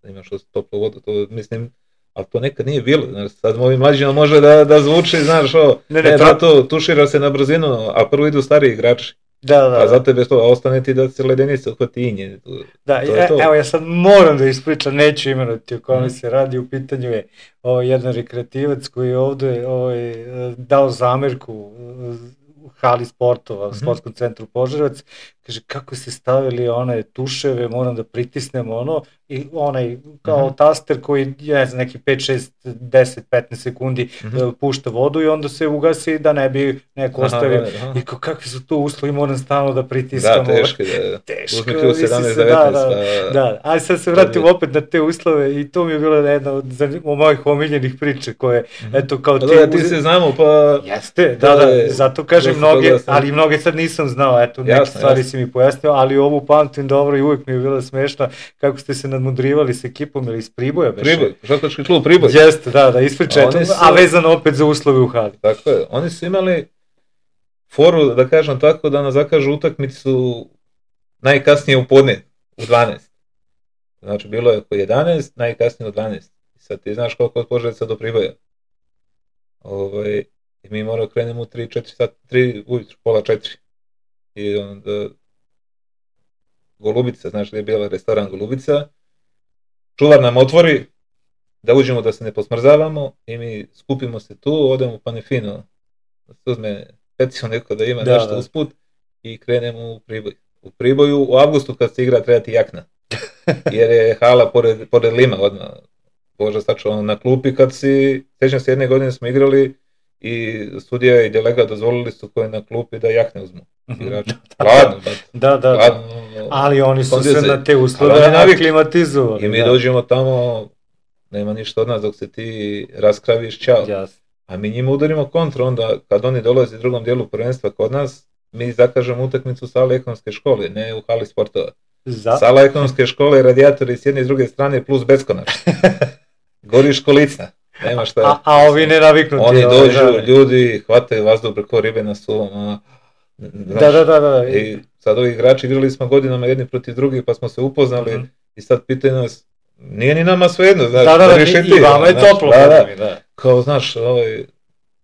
da imaš toplu vodu, to mislim, ali to nekad nije bilo, znaš, sad ovim mlađima može da, da zvuči, znaš, o, ne, ne, ne to... to tušira se na brzinu, a prvo idu stariji igrači. Da, da, a za tebe to, a ostane ti da se ledenice uhvati inje. To, da, to je, to. Evo ja sad moram da ispričam, neću imenovati o kome mm. se radi, u pitanju je o, jedan rekreativac koji je ovde o, dao zamerku u hali sportova, u sportskom centru Požarevac, kaže kako ste stavili one tuševe, moram da pritisnem ono, i onaj kao mm-hmm. taster koji, ne znam, neki pet, šest, deset, petnaest sekundi mm-hmm. pušta vodu i onda se ugasi da ne bi neko ostavio. I kao kakvi su to uslovi, moram stalno da pritiskam. Da, teško, da. Teško, sedamnaest devetnaest. Da, da, da. Ali sad se vratim opet na te uslove i to mi je bila jedna od mojih omiljenih priča koje, mm-hmm. eto, kao ti... Da, ti se znamo, pa... Jeste, da, da, zato kažem mnoge, ali mnoge sad nisam znao, eto, neke stvari si mi pojasnio, ali ovu pamtim dobro i uvijek mi je bila smešna kako ste se nadmudrivali s ekipom ili iz Priboja. Priboj, košarkaški klub Priboj. Jeste, da, da, ispričaj to, su... a vezano opet za uslove u hali. Tako je, oni su imali foru, da kažem tako, da nas zakažu utakmicu najkasnije u podne, u dvanaest. Znači, bilo je oko jedanaest, najkasnije u dvanaest. Sad ti znaš koliko od Požarevca do Priboja. Ovaj, i mi moramo krenemo u tri četiri sata, tri ujutru, pola četiri. I onda Golubica, znaš gdje je bila restoran Golubica, čuvar nam otvori da uđemo da se ne posmrzavamo i mi skupimo se tu, odemo u Panefino, da se uzme pecio neko da ima da, nešto da. Usput i krenemo u Priboj. U Priboju u avgustu kad se igra treba ti jakna, jer je hala pored, pored Lima odmah. Bože, sačuvano na klupi kad si, sjećam se jedne godine smo igrali i sudija i delegat dozvolili su koji na klupi da jahne uzmu. Mhm. Igrači. Hladno, Da, da, da. hladno. Ali oni su se Kondicije. na te Ali uslove oni navikli. aklimatizovali. I mi da. dođemo tamo, nema ništa od nas dok se ti raskraviš, čao. Jasno. A mi njima udarimo kontru, onda kad oni dolaze u drugom dijelu prvenstva kod nas, mi zakažemo utakmicu u sali ekonomske škole, ne u hali sportova. Za? Sala ekonomske škole, radijatori s jedne i s druge strane plus beskonačno. Gori školicna, nema šta. A, a ovi ne naviknuti. Oni ovi, dođu, da. ljudi, hvataju vazduh preko ribe na suvom. A, znaš, Da, da, da, da. I sad ovi igrači igrali smo godinama jedni protiv drugih, pa smo se upoznali Mhm. i sad pitaju nas, nije ni nama svejedno, znaš, Da, da, da, riješi i, ti, i vama je znaš, toplo. da, da. Da, da. Kao, znaš, ovaj,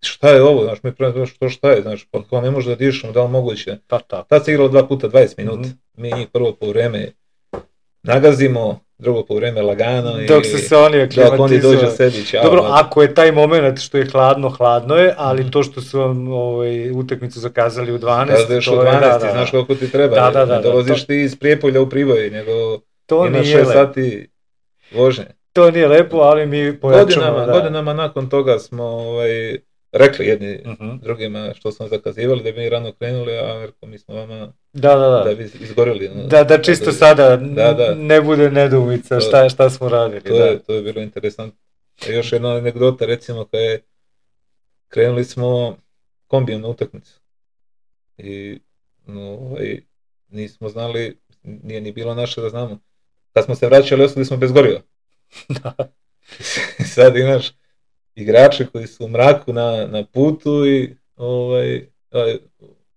šta je ovo, znaš, mi prema što šta je, znaš, pa kao ne može da dišemo, da li moguće. Pa tako. Tad se igralo dva puta dvadeset minuta, Mhm. mi njih prvo po vreme nagazimo, drugo po vreme lagano i Dok se se oni dok oni aklimatizovali. dođu sebi, ćao. Dobro, znaš. ako je taj moment što je hladno, hladno je, ali Mhm. to što su vam ovaj, utakmicu zakazali u dvanaest, Kada ideš to u je, dvanaest, da, da, znaš da. koliko ti treba, Da, da, da, ne da, dolaziš to- ti iz Prijepolja u Priboj, nego To imaš nije šest lepo. sati vožnje. To nije lepo, ali mi pojačamo. Godinama, da. godinama nakon toga smo ovaj, rekli jedni Mhm. drugima što smo zakazivali da bi mi rano krenuli, a rekao mi smo vama Da, da, da. da bi izgorili. ono. Da, da čisto sada Da, da. ne bude nedoumica To- šta, šta smo radili. To da. je, to je bilo interesantno. A još jedna anegdota, recimo, kada je krenuli smo kombijem na utakmicu. I no, ovaj, nismo znali, nije ni bilo naše da znamo. Kad smo se vraćali, ostali smo bez goriva. Da. Sad imaš igrače koji su u mraku na, na putu i ovaj, ovaj,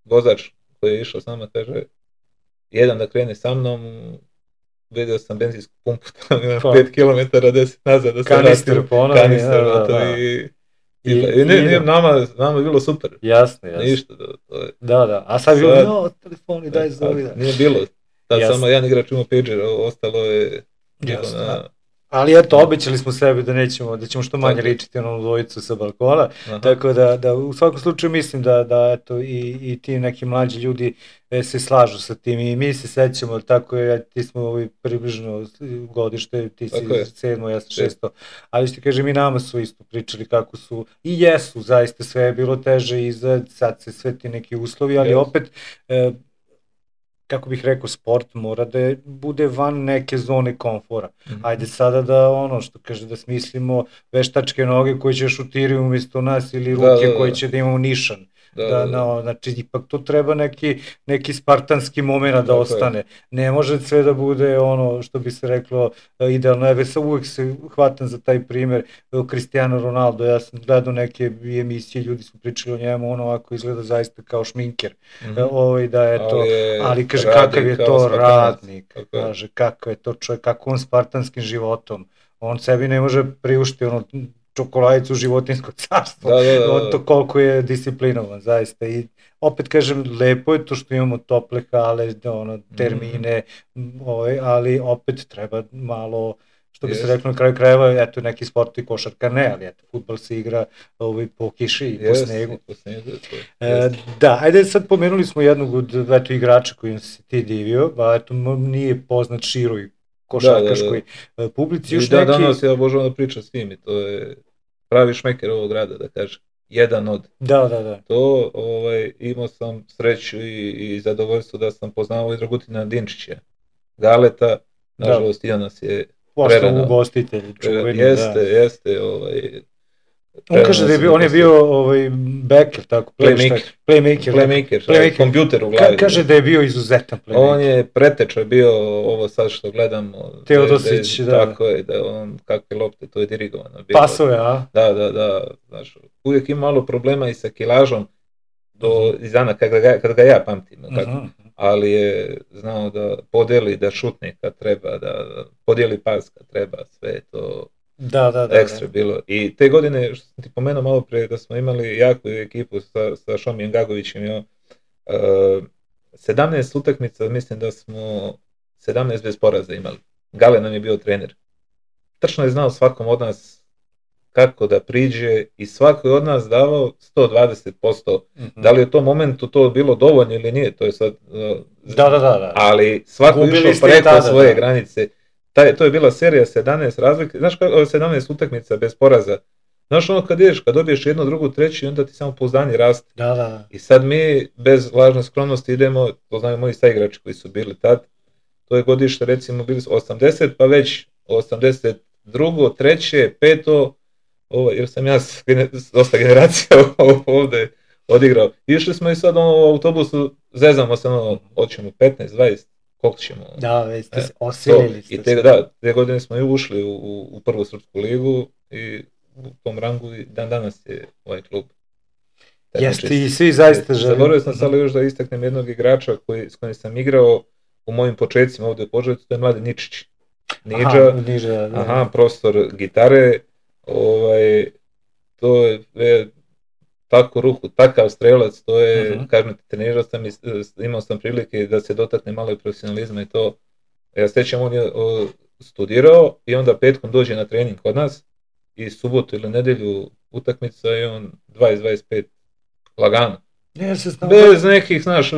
vozač koji je išao s nama kaže jedan da krene sa mnom, vidio sam benzinsku pumpu, tamo imam Pa. pet kilometara, deset nazad da se Kanister vratim. ponovi, Kanister, da, da, gotovo da. i, i, I- i, ne, i- nije, nama, nama je bilo super. Jasno, jasno. Ništa, da, to je, Da, da. A sad je Sad- bilo, no, telefoni, daj zovi. Da. nije bilo. Tad Jasno. samo jedan igrač imao pager, a ostalo je bilo Jasno. na... Ali eto, obećali smo sebi da nećemo, da ćemo što manje Tako. ličiti na onu dvojicu sa balkona. Aha. Tako da, da u svakom slučaju mislim da, da eto, i, i ti neki mlađi ljudi e, se slažu sa tim i mi se sećamo, tako je, ti smo ovi približno godište, ti si Tako je. sedmo, ja sam šesto, ali što ti kažem i nama su isto pričali kako su, i jesu, zaista sve je bilo teže i za, sad se sve ti neki uslovi, ali Jesu. opet, e, kako bih rekao, sport mora da je, bude van neke zone komfora. Mhm. Ajde sada da ono što kaže da smislimo veštačke noge koje će šutirati umjesto nas ili ruke Da, da, da. koje će da imamo nišan. Da, Da, da, da. no, znači ipak tu treba neki, neki spartanski moment da Tako je. ostane. Ne može sve da bude ono što bi se reklo e, idealno. Evo sa uvek se hvatam za taj primer e, Cristiano Ronaldo. Ja sam gledao neke emisije, ljudi su pričali o njemu, ono ovako izgleda zaista kao šminker. Mhm. E, ovaj da je to, je ali kaže radi kakav je kao to Spartanac. radnik, Tako je. kaže kakav je to čovjek, kako on spartanskim životom. On sebi ne može priuštiti ono čokoladicu životinskog carstva. Da, da, da, da. On to koliko je disciplinovan, zaista. I opet kažem, lepo je to što imamo tople hale, ono, termine, mm. ovaj, ali opet treba malo, što bi se Jest. reklo na kraju krajeva, eto neki sport i košarka ne, ali eto, fudbal se igra ovaj, po kiši i po Jest, snegu. i po snegu, to je. E, Jest. da, ajde sad pomenuli smo jednog od eto, igrača kojim se ti divio, a eto m- nije poznat široj košarkaškoj e, publici. I Još da, neki... danas ja obožavam da pričam s njim i to je pravi šmeker ovog grada, da kažem. Jedan od. Da, da, da. To, ovaj, imao sam sreću i, i zadovoljstvo da sam poznavao i Dragutina Dinčića. Galeta, nažalost, i on nas je Postao prerano. ugostitelj, čuveni, Jeste, da. jeste, ovaj... On kaže da je bio, on je bio ovaj, backer, tako, Playmaker. playmaker, Playmaker, Playmaker. kompjuter u Ka, glavi. kaže da je bio izuzetan playmaker. On je preteča bio ovo sad što gledamo. Teodosić, da. da. Tako je, da on, kakve lopte, to je dirigovano. Bilo. Pasove, a? Da, da, da, znaš, uvijek ima malo problema i sa kilažom do Mhm. iz dana kada ga, kada ga ja pamtim, kako, Mhm. ali je znao da podeli, da šutne kad treba, da podijeli pas kad treba, sve je to Da, da, da. ekstra bilo. I te godine, što sam ti pomenuo malo prije, da smo imali jaku ekipu sa, sa Šomijem Gagovićem, jo, uh, sedamnaest utakmica, mislim da smo sedamnaest bez poraza imali. Gale nam je bio trener. Tačno je znao svakom od nas kako da priđe i svako je od nas davao sto dvadeset posto. Mhm. Da li je to momentu to bilo dovoljno ili nije, to je sad... Uh, Da, da, da, da. ali svako Gubili išao ste i preko tada, svoje da. granice. Taj, to je bila serija sedamnaest razlike, znaš kako sedamnaest utakmica bez poraza, Znaš ono kad ideš, kad dobiješ jednu, drugu, treću i onda ti samo pouzdanje raste. Da, da. I sad mi bez lažne skromnosti idemo, to znaju moji saigrači koji su bili tad, to je godište recimo bili su osamdeset, pa već osamdeset drugo, treće, peto, ovo, jer sam ja s dosta generacija ovdje odigrao. Išli smo i sad ono, u autobusu, zezamo se, ono, hoćemo petnaest, dvadeset, koliko ćemo? Da, već ste se osilili. I te, da, te godine smo i ušli u, u, u prvu srpsku ligu i u tom rangu i dan danas je ovaj klub. Jeste i svi zaista žele. Zaboravio sam sad još da istaknem jednog igrača koji, s kojim sam igrao u mojim početcima ovdje u Požarevcu, to je Mladen Ničić. Niđa, aha, Niđa, da. Aha, profesor gitare, ovaj, to je, je tako ruku, takav strelac, to je, uh-huh. kažem ti, trenirao sam i imao sam prilike da se dotakne malo i profesionalizma i to. Ja sećam, on je o, studirao i onda petkom dođe na trening kod nas i subotu ili nedelju utakmica i on dvadeset dvadeset pet lagano. Ne, se bez nekih, znaš,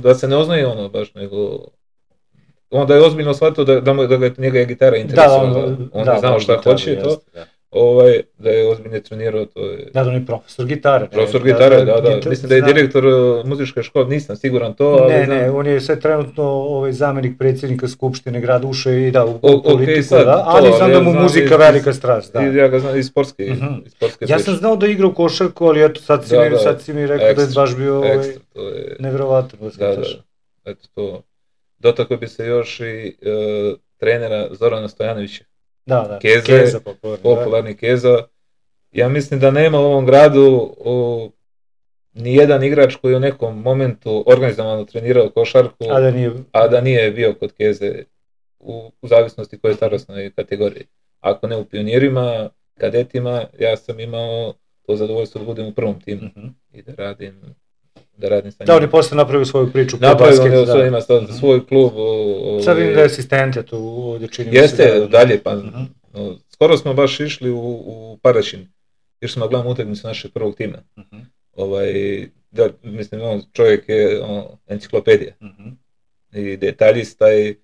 da se ne oznaje ono baš, nego onda je ozbiljno shvatio da, da, da ga njega je gitara interesovala, da, on, on da, je znao šta gitaru, hoće, to, da. Ovaj, da je ozbiljno trenirao, to je... Da, da, on je profesor gitare. Profesor ne, gitare, da, da, da, da. Mislim da je direktor muzičke škole, nisam siguran to, ali ne, znam... Ne, on je sve trenutno ovaj, zamjenik predsjednika Skupštine grada, ušao i da, u, u politiku, okay, sad, da, ali to, znam da mu ja muzika iz, velika strast, da. Ja ga znam iz sportske, uh-huh. iz sportske Ja sam znao da igra u košarku, ali eto, sad si, da, mi, da, sad si mi rekao ekstra, da je baš bio ovaj, ekstra, to je... nevjerovatan. Da, da, eto to. Dotakao bi se još i uh, trenera Zorana Stojanovića. Da, da, Keze, Keza popularni, popularni Keza. Ja mislim da nema u ovom gradu o, ni jedan igrač koji u nekom momentu organizovano trenirao košarku, a da nije, a da nije bio kod Keze u, u zavisnosti koje je starosnoj kategoriji. Ako ne u pionirima, kadetima, ja sam imao to zadovoljstvo da budem u prvom timu uh-huh. i da radim da radim sa njim. Da, on je posle napravio svoju priču. Napravio on je svoj, ima uh-huh. svoj klub. O, o, sad vidim da je asistenta tu ovdje čini. Jeste, da, dalje, pa uh-huh. no, skoro smo baš išli u, u Paraćin, jer smo gledali utakmicu našeg prvog tima. Uh-huh. Ovaj, da, mislim, on, čovjek je on, enciklopedija uh-huh. i detaljista i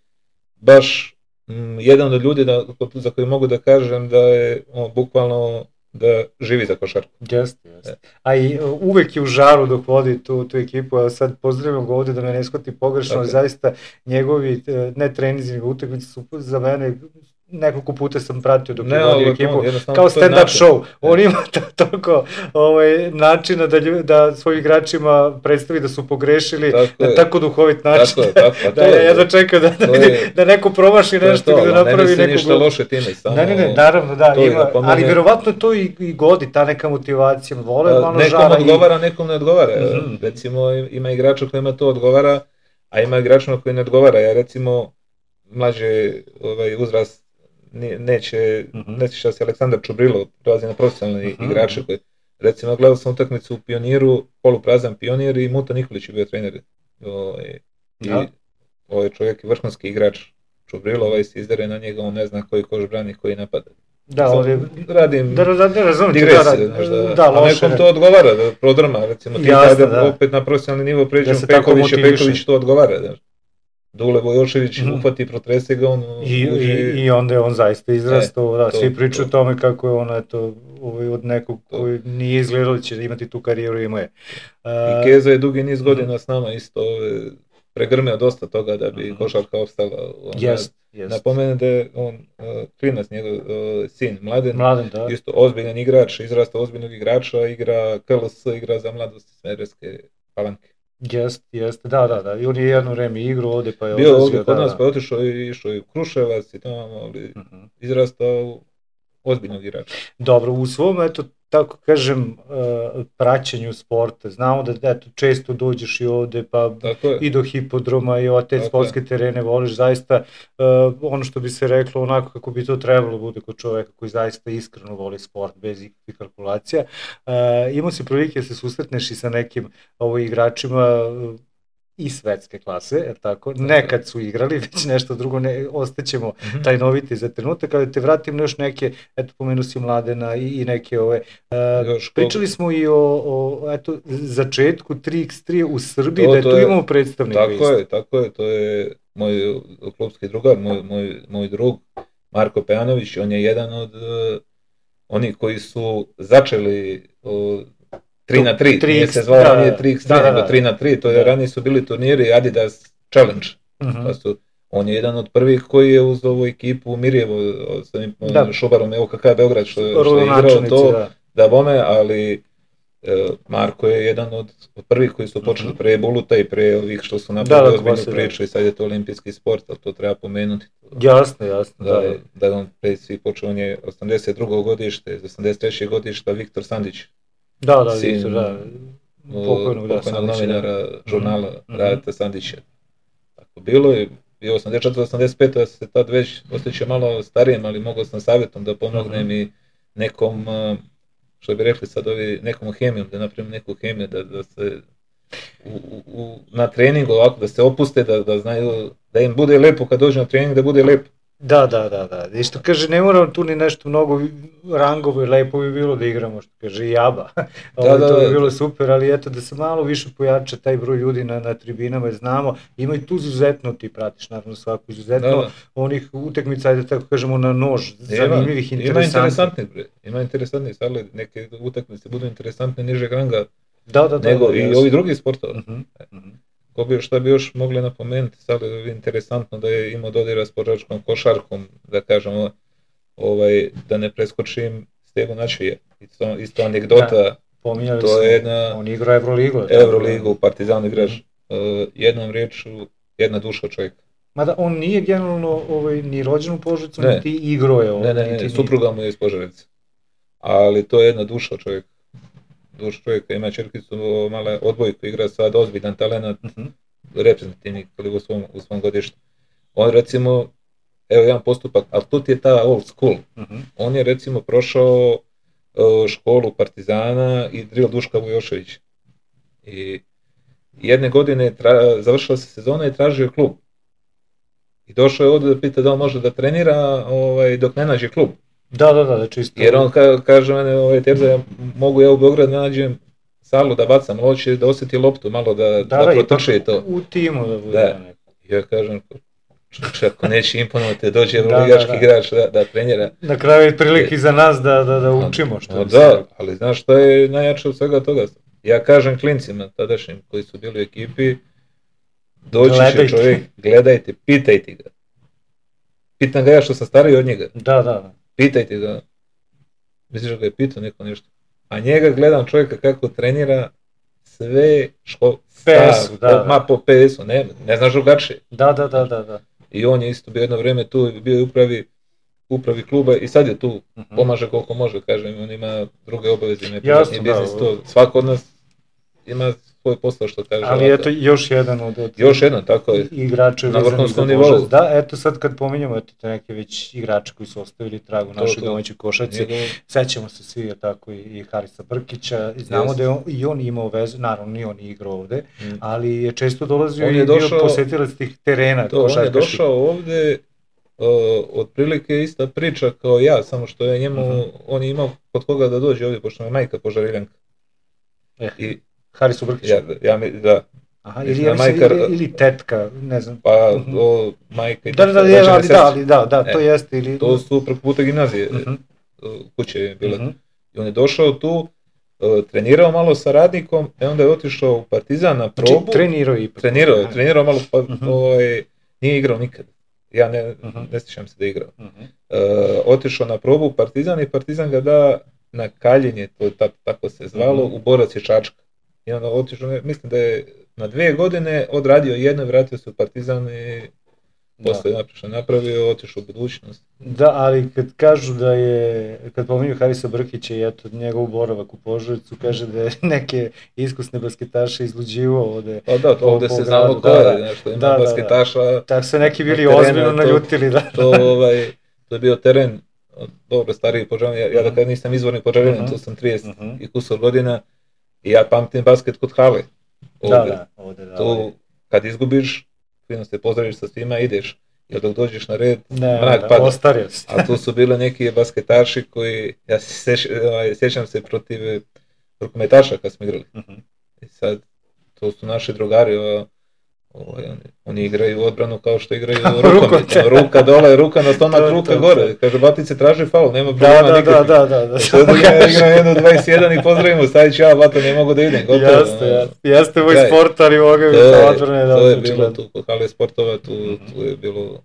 baš m, jedan od ljudi da, za koji mogu da kažem da je on, bukvalno da živi za košarku. Jeste, jeste. A i uvek je u žaru dok vodi tu, tu ekipu, a sad pozdravim ga ovdje da me ne shvati pogrešno, ali zaista njegovi, ne treninzi, nego utakmice su za mene, nekoliko puta sam pratio dok ne, je vodio ekipu, on, kao stand-up show. On ima toliko ovaj, načina da, lju, da svojim igračima predstavi da su pogrešili tako na tako duhovit način. Tako, tako, da ja jedva čekam da, da, je, da neko promaši nešto ili da napravi neku... Ne ništa loše time, samo... Ne, ne, ne, naravno, da, ima, da ali vjerovatno to i, i godi, ta neka motivacija, vole malo nekom žara. Nekom odgovara, i... nekom ne odgovara. Mm-hmm. Recimo, ima igrača kojima to odgovara, a ima igrača koji ne odgovara. Ja recimo, mlađe ovaj, uzrast neće, uh-huh. neće šta se Aleksandar Čubrilo prelazi na profesionalni uh-huh. igrače koji, recimo, gledao sam utakmicu u Pioniru, poluprazan Pionir i Muta Nikolić je bio trener. O, i, ja. i ovaj čovjek je vrhunski igrač. Čubrilo, ovaj se izdere na njega, on ne zna koji koš brani, koji napada. Da, on je... Radim da, da, da, razumite, digresiju, da, da, da, a nekom to odgovara, da prodrma, recimo, ti Jasne, da opet na profesionalni nivo pređemo Peković, Peković to odgovara, da. Dule Vojošević mm. upati, protrese ga, on I, uđe... I, i onda je on zaista izrastao, e, da, to, svi pričaju o tome kako je on, eto, ovaj, od nekog to. koji nije izgledao će imati tu karijeru, ima je. Uh, I Keza je dugi niz godina mm. s nama isto pregrmeo dosta toga da bi mm. košarka opstala. Jest, jest. Napomenem da je on, uh, klinac, njegov uh, sin, Mladen, Mladen da. isto ozbiljan igrač, izrastao ozbiljnog igrača, igra K L S, igra za Mladost Smederevske Palanke. Jest, jest, da, da, da, i on je jedno vreme igrao ovdje pa je bio odlazio, ovdje kod nas da, pa je otišao i išao i u Kruševac i tamo, ali uh-huh. izrastao ozbiljnog igrača. Dobro, u svom, eto, tako kažem, uh, praćenju sporta, znamo da eto, često dođeš i ovdje, pa i do hipodroma i ove te sportske terene voliš, zaista uh, ono što bi se reklo onako kako bi to trebalo bude kod čovjeka koji zaista iskreno voli sport bez ikakvih kalkulacija. Uh, imao si prilike da se susretneš i sa nekim ovo, igračima uh, i svetske klase, jer tako, nekad su igrali, već nešto drugo, ne, ostaćemo mm-hmm. tajnoviti za trenutak, ali te vratim na još neke, eto, pomenu si Mladena i, i neke ove, uh, pričali smo i o, o eto, začetku tri iks tri u Srbiji, to, da je tu je, imamo predstavnika. Tako isto. je, tako je, to je moj klubski drugar, moj, moj, moj drug, Marko Pejanović, on je jedan od uh, oni koji su začeli o, tri na tri, tri nije iks, se zvalo da, nije tri iks tri, da, da, nego da. tri na tri, to je Da. ranije su bili turniri Adidas Challenge. Mhm. Pa su, on je jedan od prvih koji je uz ovu ekipu Mirjevo s ovim Da. Šubarom E O K K Beograd što, što je igrao Rodonačelnici, to, da. da bome, ali e, Marko je jedan od, od prvih koji su počeli Mhm. pre Buluta i pre ovih što su Da, napravili da, ozbiljnu poslije, priču i sad je to olimpijski sport, ali to treba pomenuti. Jasno, jasno, Da, da. je, da je on pre svih počeo, on je osamdeset drugo godište, osamdeset treće godišta Viktor Sandić, Da, da, sin, Viktor, da. Pokojnog, da, pokojnog Sandića, da. novinara žurnala Mhm. Radeta Sandića. Tako bilo je, bio osamdeset četvrte osamdeset pete da se tad već osjeća malo starijem, ali mogao sam savjetom da pomognem Mhm. i nekom, uh, što bi rekli sad ovi, nekom hemijom, da napravim neku hemiju, da, da se u, u, u, na treningu ovako, da se opuste, da, da znaju, da im bude lepo kad dođu na trening, da bude lepo. Da, da, da, da. I što kaže, ne moramo tu ni nešto mnogo rangove, lepo bi bilo da igramo, što kaže i Jaba. Ovo, da, to bi da. bilo super, ali eto da se malo više pojača taj broj ljudi na, na tribinama, jer znamo, ima i tu izuzetno, ti pratiš naravno svaku izuzetno, Da, da. onih utakmica, ajde tako kažemo, na nož, zanimljivih, Ima interesantnih. interesantnih, bre. Ima interesantnih, ali neke utakmice budu interesantne nižeg ranga, Da, da, da. nego da, i jasno. ovi drugi sportova. Mhm, mhm. Ko bi, šta bi još mogli napomenuti, sad je interesantno da je imao dodira s požačkom košarkom, da kažemo, ovaj, da ne preskočim Stevu Načije. Isto, isto anegdota, Da, pominjali to smo, je jedna on igra Euroligu. Euroligu, Partizan igrač, uh, jednom riječu, jedna duša čovjeka. Mada on nije generalno ovaj, ni rođen u Požarevcu, Ne. niti igro je ovdje. Ne, ne, niti ne, ni- supruga mu je iz Požarevca. Ali to je jedna duša čovjeka. Duša čovjeka, ima čerkicu, mala odbojku, igra sad ozbiljan talent, Mhm. reprezentativni u svom, u svom godištu. On recimo, evo jedan postupak, ali tu ti je ta old school. Mhm. On je recimo prošao uh, školu Partizana i drill Duška Vujošević. I jedne godine tra, završila se sezona i tražio klub. I došao je ovdje da pita da li može da trenira ovaj, dok ne nađe klub. Da, da, da, da, čisto. Jer on ka, kaže mene, ovaj, Terza, ja mogu ja u Beograd da nađem salu da bacam, ali hoće da osjeti loptu, malo da, da, da, da, protrče ipak to. u timu da bude. Da. neko. Ja kažem, čovječe, ako neće imponovati, dođe Da, ligaški da, da. igrač da, da trenira. Na kraju je prilike i za nas da, da, da učimo što No, bi se da, reklo. ali znaš šta je najjače od svega toga? Ja kažem klincima tadašnjim koji su bili u ekipi, doći Gledajte. će čovjek, gledajte, pitajte ga. Pitam ga ja što sam stariji od njega, Da, da. pitajte ga. Misliš da ga je pitao neko nešto? A njega gledam čovjeka kako trenira sve što P S-u, da, da. ma po P S-u, ne, ne znaš drugačije. Da, da, da, da, da. I on je isto bio jedno vrijeme tu, bio je upravi, upravi kluba i sad je tu, Mhm. pomaže koliko može, kažem, on ima druge obaveze, ima Jasno, privatni da, biznis, ovo. to, svako od nas ima svoj posao što kaže. Ali ovako. eto, još jedan od, od Još jedan, tako je. igrača Na vezanih vrhunskom za nivou. Požarevac. Da, eto sad kad pominjamo eto, te neke već igrače koji su ostavili trag u To, našoj to. domaćoj košarci, Njegov, sećamo se svi, je tako, i, i Harisa Brkića, i znamo Jest. da je on, i on imao vezu, naravno nije on igrao ovde, Mm. ali je često dolazio On i je bio došao- posetilac tih terena to, on je košarkaških. došao ovdje, uh, otprilike ista priča kao ja, samo što je njemu, Mhm. on je imao kod koga da dođe ovdje, pošto mu je majka Požarevljanka. Eh, I Harisu Brkiću. ja, ja mi, da, Aha, mislim, ili, ja mislim, majka- ili, ili tetka, ne znam. pa Mhm. o, majka i Da, da, da, teta, je, rođene ali sestre. da, ali da, da, to E, jeste, ili... To su preko puta gimnazije, Mhm, uh, kuće je bila. mhm. I on je došao tu, uh, trenirao malo sa radnikom, i onda je otišao u Partizan na Znači, probu. trenirao je ipak. Trenirao je, trenirao malo, pa Mhm. ovaj, nije igrao nikad. Ja ne, Mhm. ne sjećam se da je igrao. Mhm. Uh, otišao na probu u Partizan i Partizan ga da na kaljenje, to je ta- tako se zvalo, Mhm. u Borac i Čačka. I onda otišao, ne- mislim da je na dvije godine odradio jedno, vratio se u Partizan i Da. posle je naprišao napravio, otišao u budućnost. Da, ali kad kažu da je, kad pominju Harisa Brkića i eto njegov boravak u Požarevcu, kaže da je neke iskusne basketaše izluđivao ovde. Pa da, to Po- ovdje po se gradu, znamo ko da, je, da. znaš, što ima Da, da, da. basketaša, Tako se neki bili Na terenu ozbiljno je to- naljutili, da. to, ovaj, to je bio teren, dobro, stariji Požarevac, ja, ja da kad nisam izvorni Požarevac, Mhm. tu sam trideset Mhm. i kusur godina i ja pamtim basket kod hale. Da, Ovdje. da, ovde da. To, ovaj. kad izgubiš, fino se pozdraviš sa svima, ideš, jer dok dođeš na red, Ne, mrak da, pada. ostario si. A tu su bile neki basketaši koji, ja se seš- ovaj, sjećam se protiv eh, rukometaša kad smo igrali. Mhm. I sad, to su naši drugari, ova, Ovaj, oni, oni igraju odbranu kao što igraju rukomet, ruka dole, ruka na stomak, ruka to, gore. To. Kaže, Batice traži faul, nema problema da, nikakvih. Da, da, da, da. Sad ja igram jednu dvadeset jedan i pozdravimo, Savić, ja, Bata, ne mogu da idem. Gotovo, jeste, jeste, jeste moj sport, ali mogu bi to odbrane. Da, to je bilo tu, kod hale sportova, tu, mm-hmm. tu je bilo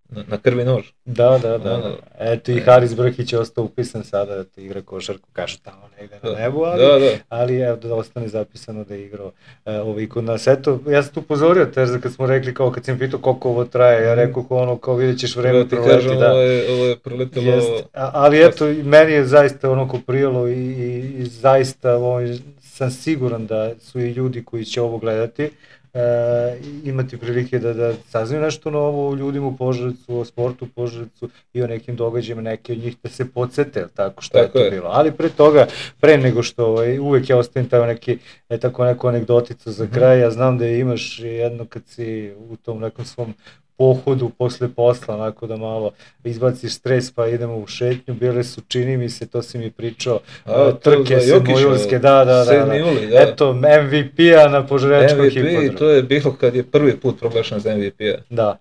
na, na krvi nož. Da, da, da. Ono, eto i Haris Brhić je ostao upisan sada da te igra košarku, kažu tamo negde na nebu, ali, da, da. ali evo da ostane zapisano da je igrao e, ovaj kod nas. Eto, ja sam tu upozorio Terza kad smo rekli, kao kad sam pitao koliko ovo traje, ja rekao ono, kao vidjet ćeš vreme proleti, da. Ovo je, ovo je proletelo... Jest, a, ali eto, meni je zaista ono ko prijelo i, i, i zaista ovaj, sam siguran da su i ljudi koji će ovo gledati, E, imati prilike da, da saznaju nešto novo o ljudima u Požarevcu, o sportu u Požarevcu i o nekim događajima, neke od njih da se podsete, tako što tako je to je. Bilo. Ali pre toga, pre nego što ovaj, uvek ja ostavim taj neki, e, tako neku anegdoticu za kraj, ja znam da imaš jedno kad si u tom nekom svom pohodu posle posla, onako da malo izbaciš stres pa idemo u šetnju, bile su, čini mi se, to si mi pričao, a, trke sedmojulske, da, da, da, sedmi juli, da. Eto, em ve pe-a na Požarevčkom hipodromu. em ve pe, to je bilo kad je prvi put proglašen za em ve pe-a. Da.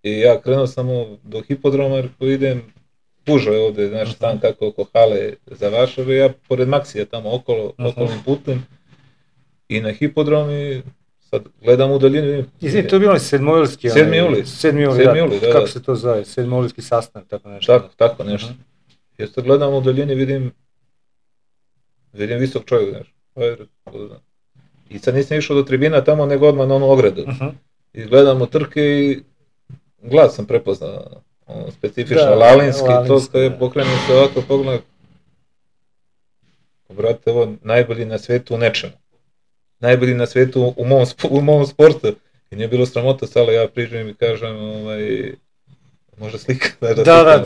I ja krenuo samo do hipodroma, jer ko idem, pužo je ovde, znaš, uh-huh. tam kako oko hale za Varšave, ja pored Maksija tamo okolo, uh-huh. okolnim putem, i na hipodrom i sad gledam u daljinu, vidim... Izvini, to je bilo sedmojulski... sedmi juli. sedmi juli, da, da, kako se to zove, sedmojulski sastanak, tako nešto. Tako, tako nešto. Uh-huh. I sad gledam u daljini, vidim, vidim visok čovjek, znaš. I sad nisam išao do tribina tamo, nego odmah na onu ogradu. Uh-huh. I gledam u trke i glas sam prepoznao, ono, specifično, da, lalinski, lalinski, to je pokrenuo se ovako pogled. Brate, ovo najbolji na svetu u nečemu. Najbolji na svetu u mom, u mom sportu. I nije bilo sramota, sale ja priđem i kažem, ovaj, može slika? Da, da, da.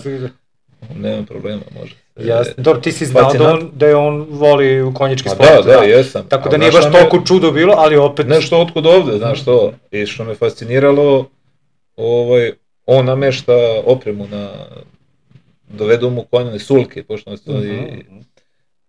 Nemam problema, može. Jasno, dobro, ti si znao da, on, da je on voli u konjički sport. Da, da, jesam. Tako da nije baš toliko čudo bilo, ali opet... Nešto otkud ovde, znaš to. I što me fasciniralo, ovaj, on namešta opremu na... Dovedu mu konjane sulke, pošto nas to uh-huh. i...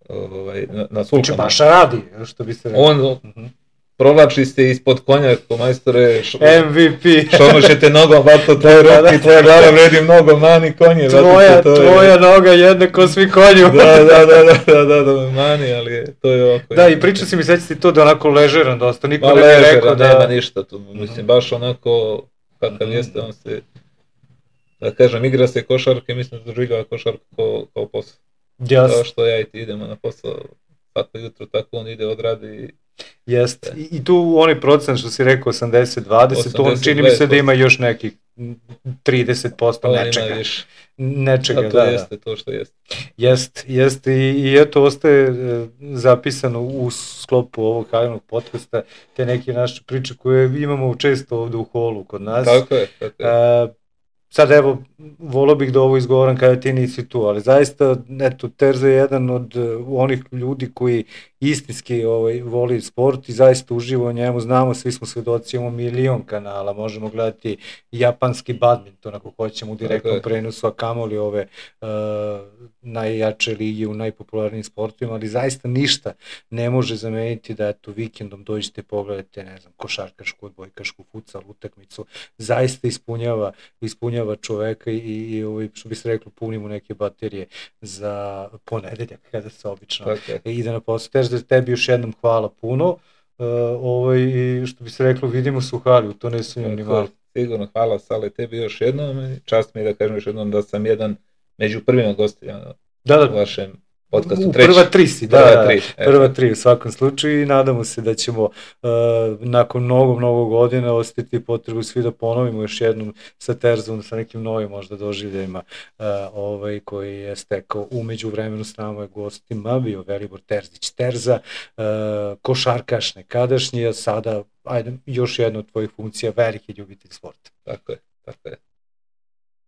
Ovaj, na, na sulkama. Znači baš radi, što bi se rekao. On uh-huh. provlači se ispod konja, ko majstore... Š... em ve pe. Šomošete nogom, vato, tvoje ruke i tvoja glava vredi mnogo, mani konje. Tvoja, vato, to tvoja je... noga jednako svi konju. Da, da, da, da, da, da, da, mani, ali to je ovako. Da, i pričao si mi, sveći ti to da onako ležeran dosta, niko Ma, ne bi rekao da... nema ništa tu, mislim, baš onako, kakav mm-hmm. jeste, on se, da kažem, igra se košarke, mislim da doživljava košarku kao, kao posao. Jasno. Kao što ja i ti idemo na posao, tako jutro, tako on ide, odradi. Jeste, I, i tu onaj procent što si rekao osamdeset dvadeset, to on čini mi se da ima još nekih trideset posto nečega. Ima više. Nečega, da, to da. To jeste to što jeste. Jeste, jeste i, i eto ostaje e, zapisano u sklopu ovog halinog podcasta te neke naše priče koje imamo često ovde u holu kod nas. Tako je, tako je. E, sad evo, volio bih da ovo izgovoram kada ti nisi tu, ali zaista, eto, Terza je jedan od uh, onih ljudi koji istinski ovaj, voli sport i zaista uživa u njemu, znamo, svi smo svedoci, imamo milion kanala, možemo gledati japanski badminton ako hoćemo u direktnom prenosu, a kamoli ove uh, najjače ligi u najpopularnijim sportovima, ali zaista ništa ne može zameniti da eto vikendom dođete pogledate, ne znam, košarkašku, odbojkašku, futsal, utakmicu, zaista ispunjava, ispunjava čoveka i, i ovaj, što bi se reklo, punimo neke baterije za ponedeljak kada se obično okay. ide na posao. Tež da tebi još jednom hvala puno, uh, ovaj, i što bi se reklo, vidimo se u hali, u to ne sumnjam ni malo. Sigurno, hvala Sale tebi još jednom, čast mi je da kažem još jednom da sam jedan među prvima gostima da, da. u vašem podcastu. U prva tri si, da, prva tri, prva tri u svakom slučaju i nadamo se da ćemo uh, nakon mnogo, mnogo godina ostati potrebu svi da ponovimo još jednom sa Terzom, sa nekim novim možda doživljajima uh, ovaj, koji je stekao umeđu vremenu s nama je gostima, bio Velibor Terzić Terza, uh, košarkaš nekadašnji, a sada ajde, još jedna od tvojih funkcija, veliki ljubitelj sporta. Tako je.